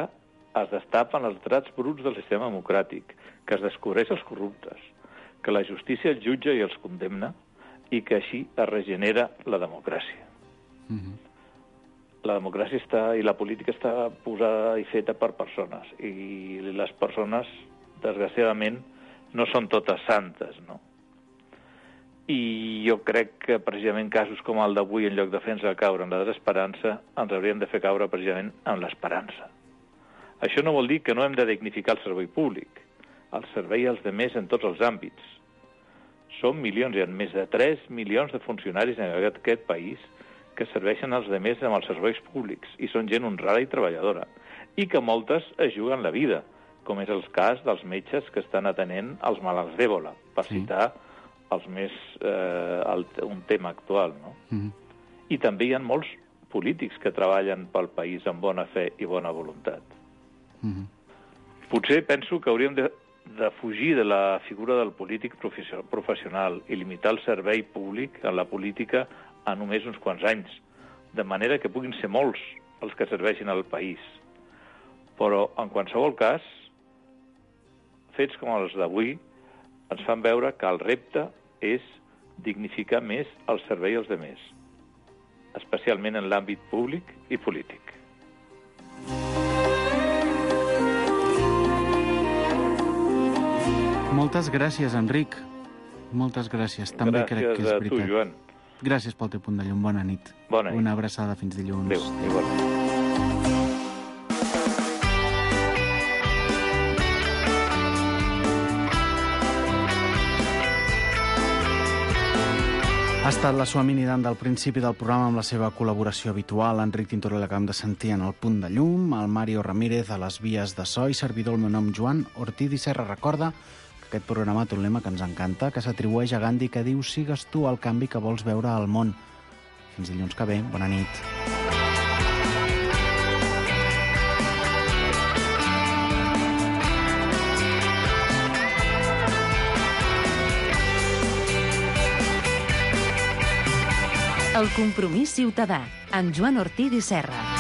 es destapen els drets bruts del sistema democràtic, que es descobreix els corruptes, que la justícia els jutja i els condemna i que així es regenera la democràcia. La democràcia i la política està posada i feta per persones i les persones, desgraciadament, no són totes santes, no? I jo crec que precisament casos com el d'avui, en lloc de fer-nos caure en la desesperança, ens haurien de fer caure precisament en l'esperança. Això no vol dir que no hem de dignificar el servei públic, el servei als demés en tots els àmbits. Som milions, hi ha més de 3 milions de funcionaris en aquest país que serveixen als demés amb els serveis públics i són gent honrada i treballadora i que moltes es juguen la vida, com és el cas dels metges que estan atenent els malalts d'Ebola, per citar un tema actual, no? I també hi ha molts polítics que treballen pel país amb bona fe i bona voluntat. Potser penso que hauríem de fugir de la figura del polític professional i limitar el servei públic en la política a només uns quants anys, de manera que puguin ser molts els que serveixin al país. Però, en qualsevol cas, fets com els d'avui ens fan veure que el repte és dignificar més el servei als demés, especialment en l'àmbit públic i polític. Moltes gràcies, Enric. Moltes gràcies. També crec que és veritat. Gràcies a tu, Joan. Gràcies pel teu punt de llum. Bona nit. Bona nit. Una abraçada fins dilluns. Adéu, igualment. Ha estat la Suami Nidant del principi del programa amb la seva col·laboració habitual. Enric Tintorer l'acabem de sentir en el punt de llum, el Mario Ramírez a les vies de so i servidor el meu nom Joan Ortiz i Serra. Recorda que aquest programa té un lema que ens encanta, que s'atribueix a Gandhi, que diu «Sigues tu el canvi que vols veure al món». Fins dilluns que ve. Bona nit. El compromís ciutadà, amb Joan Ortiz i Serra.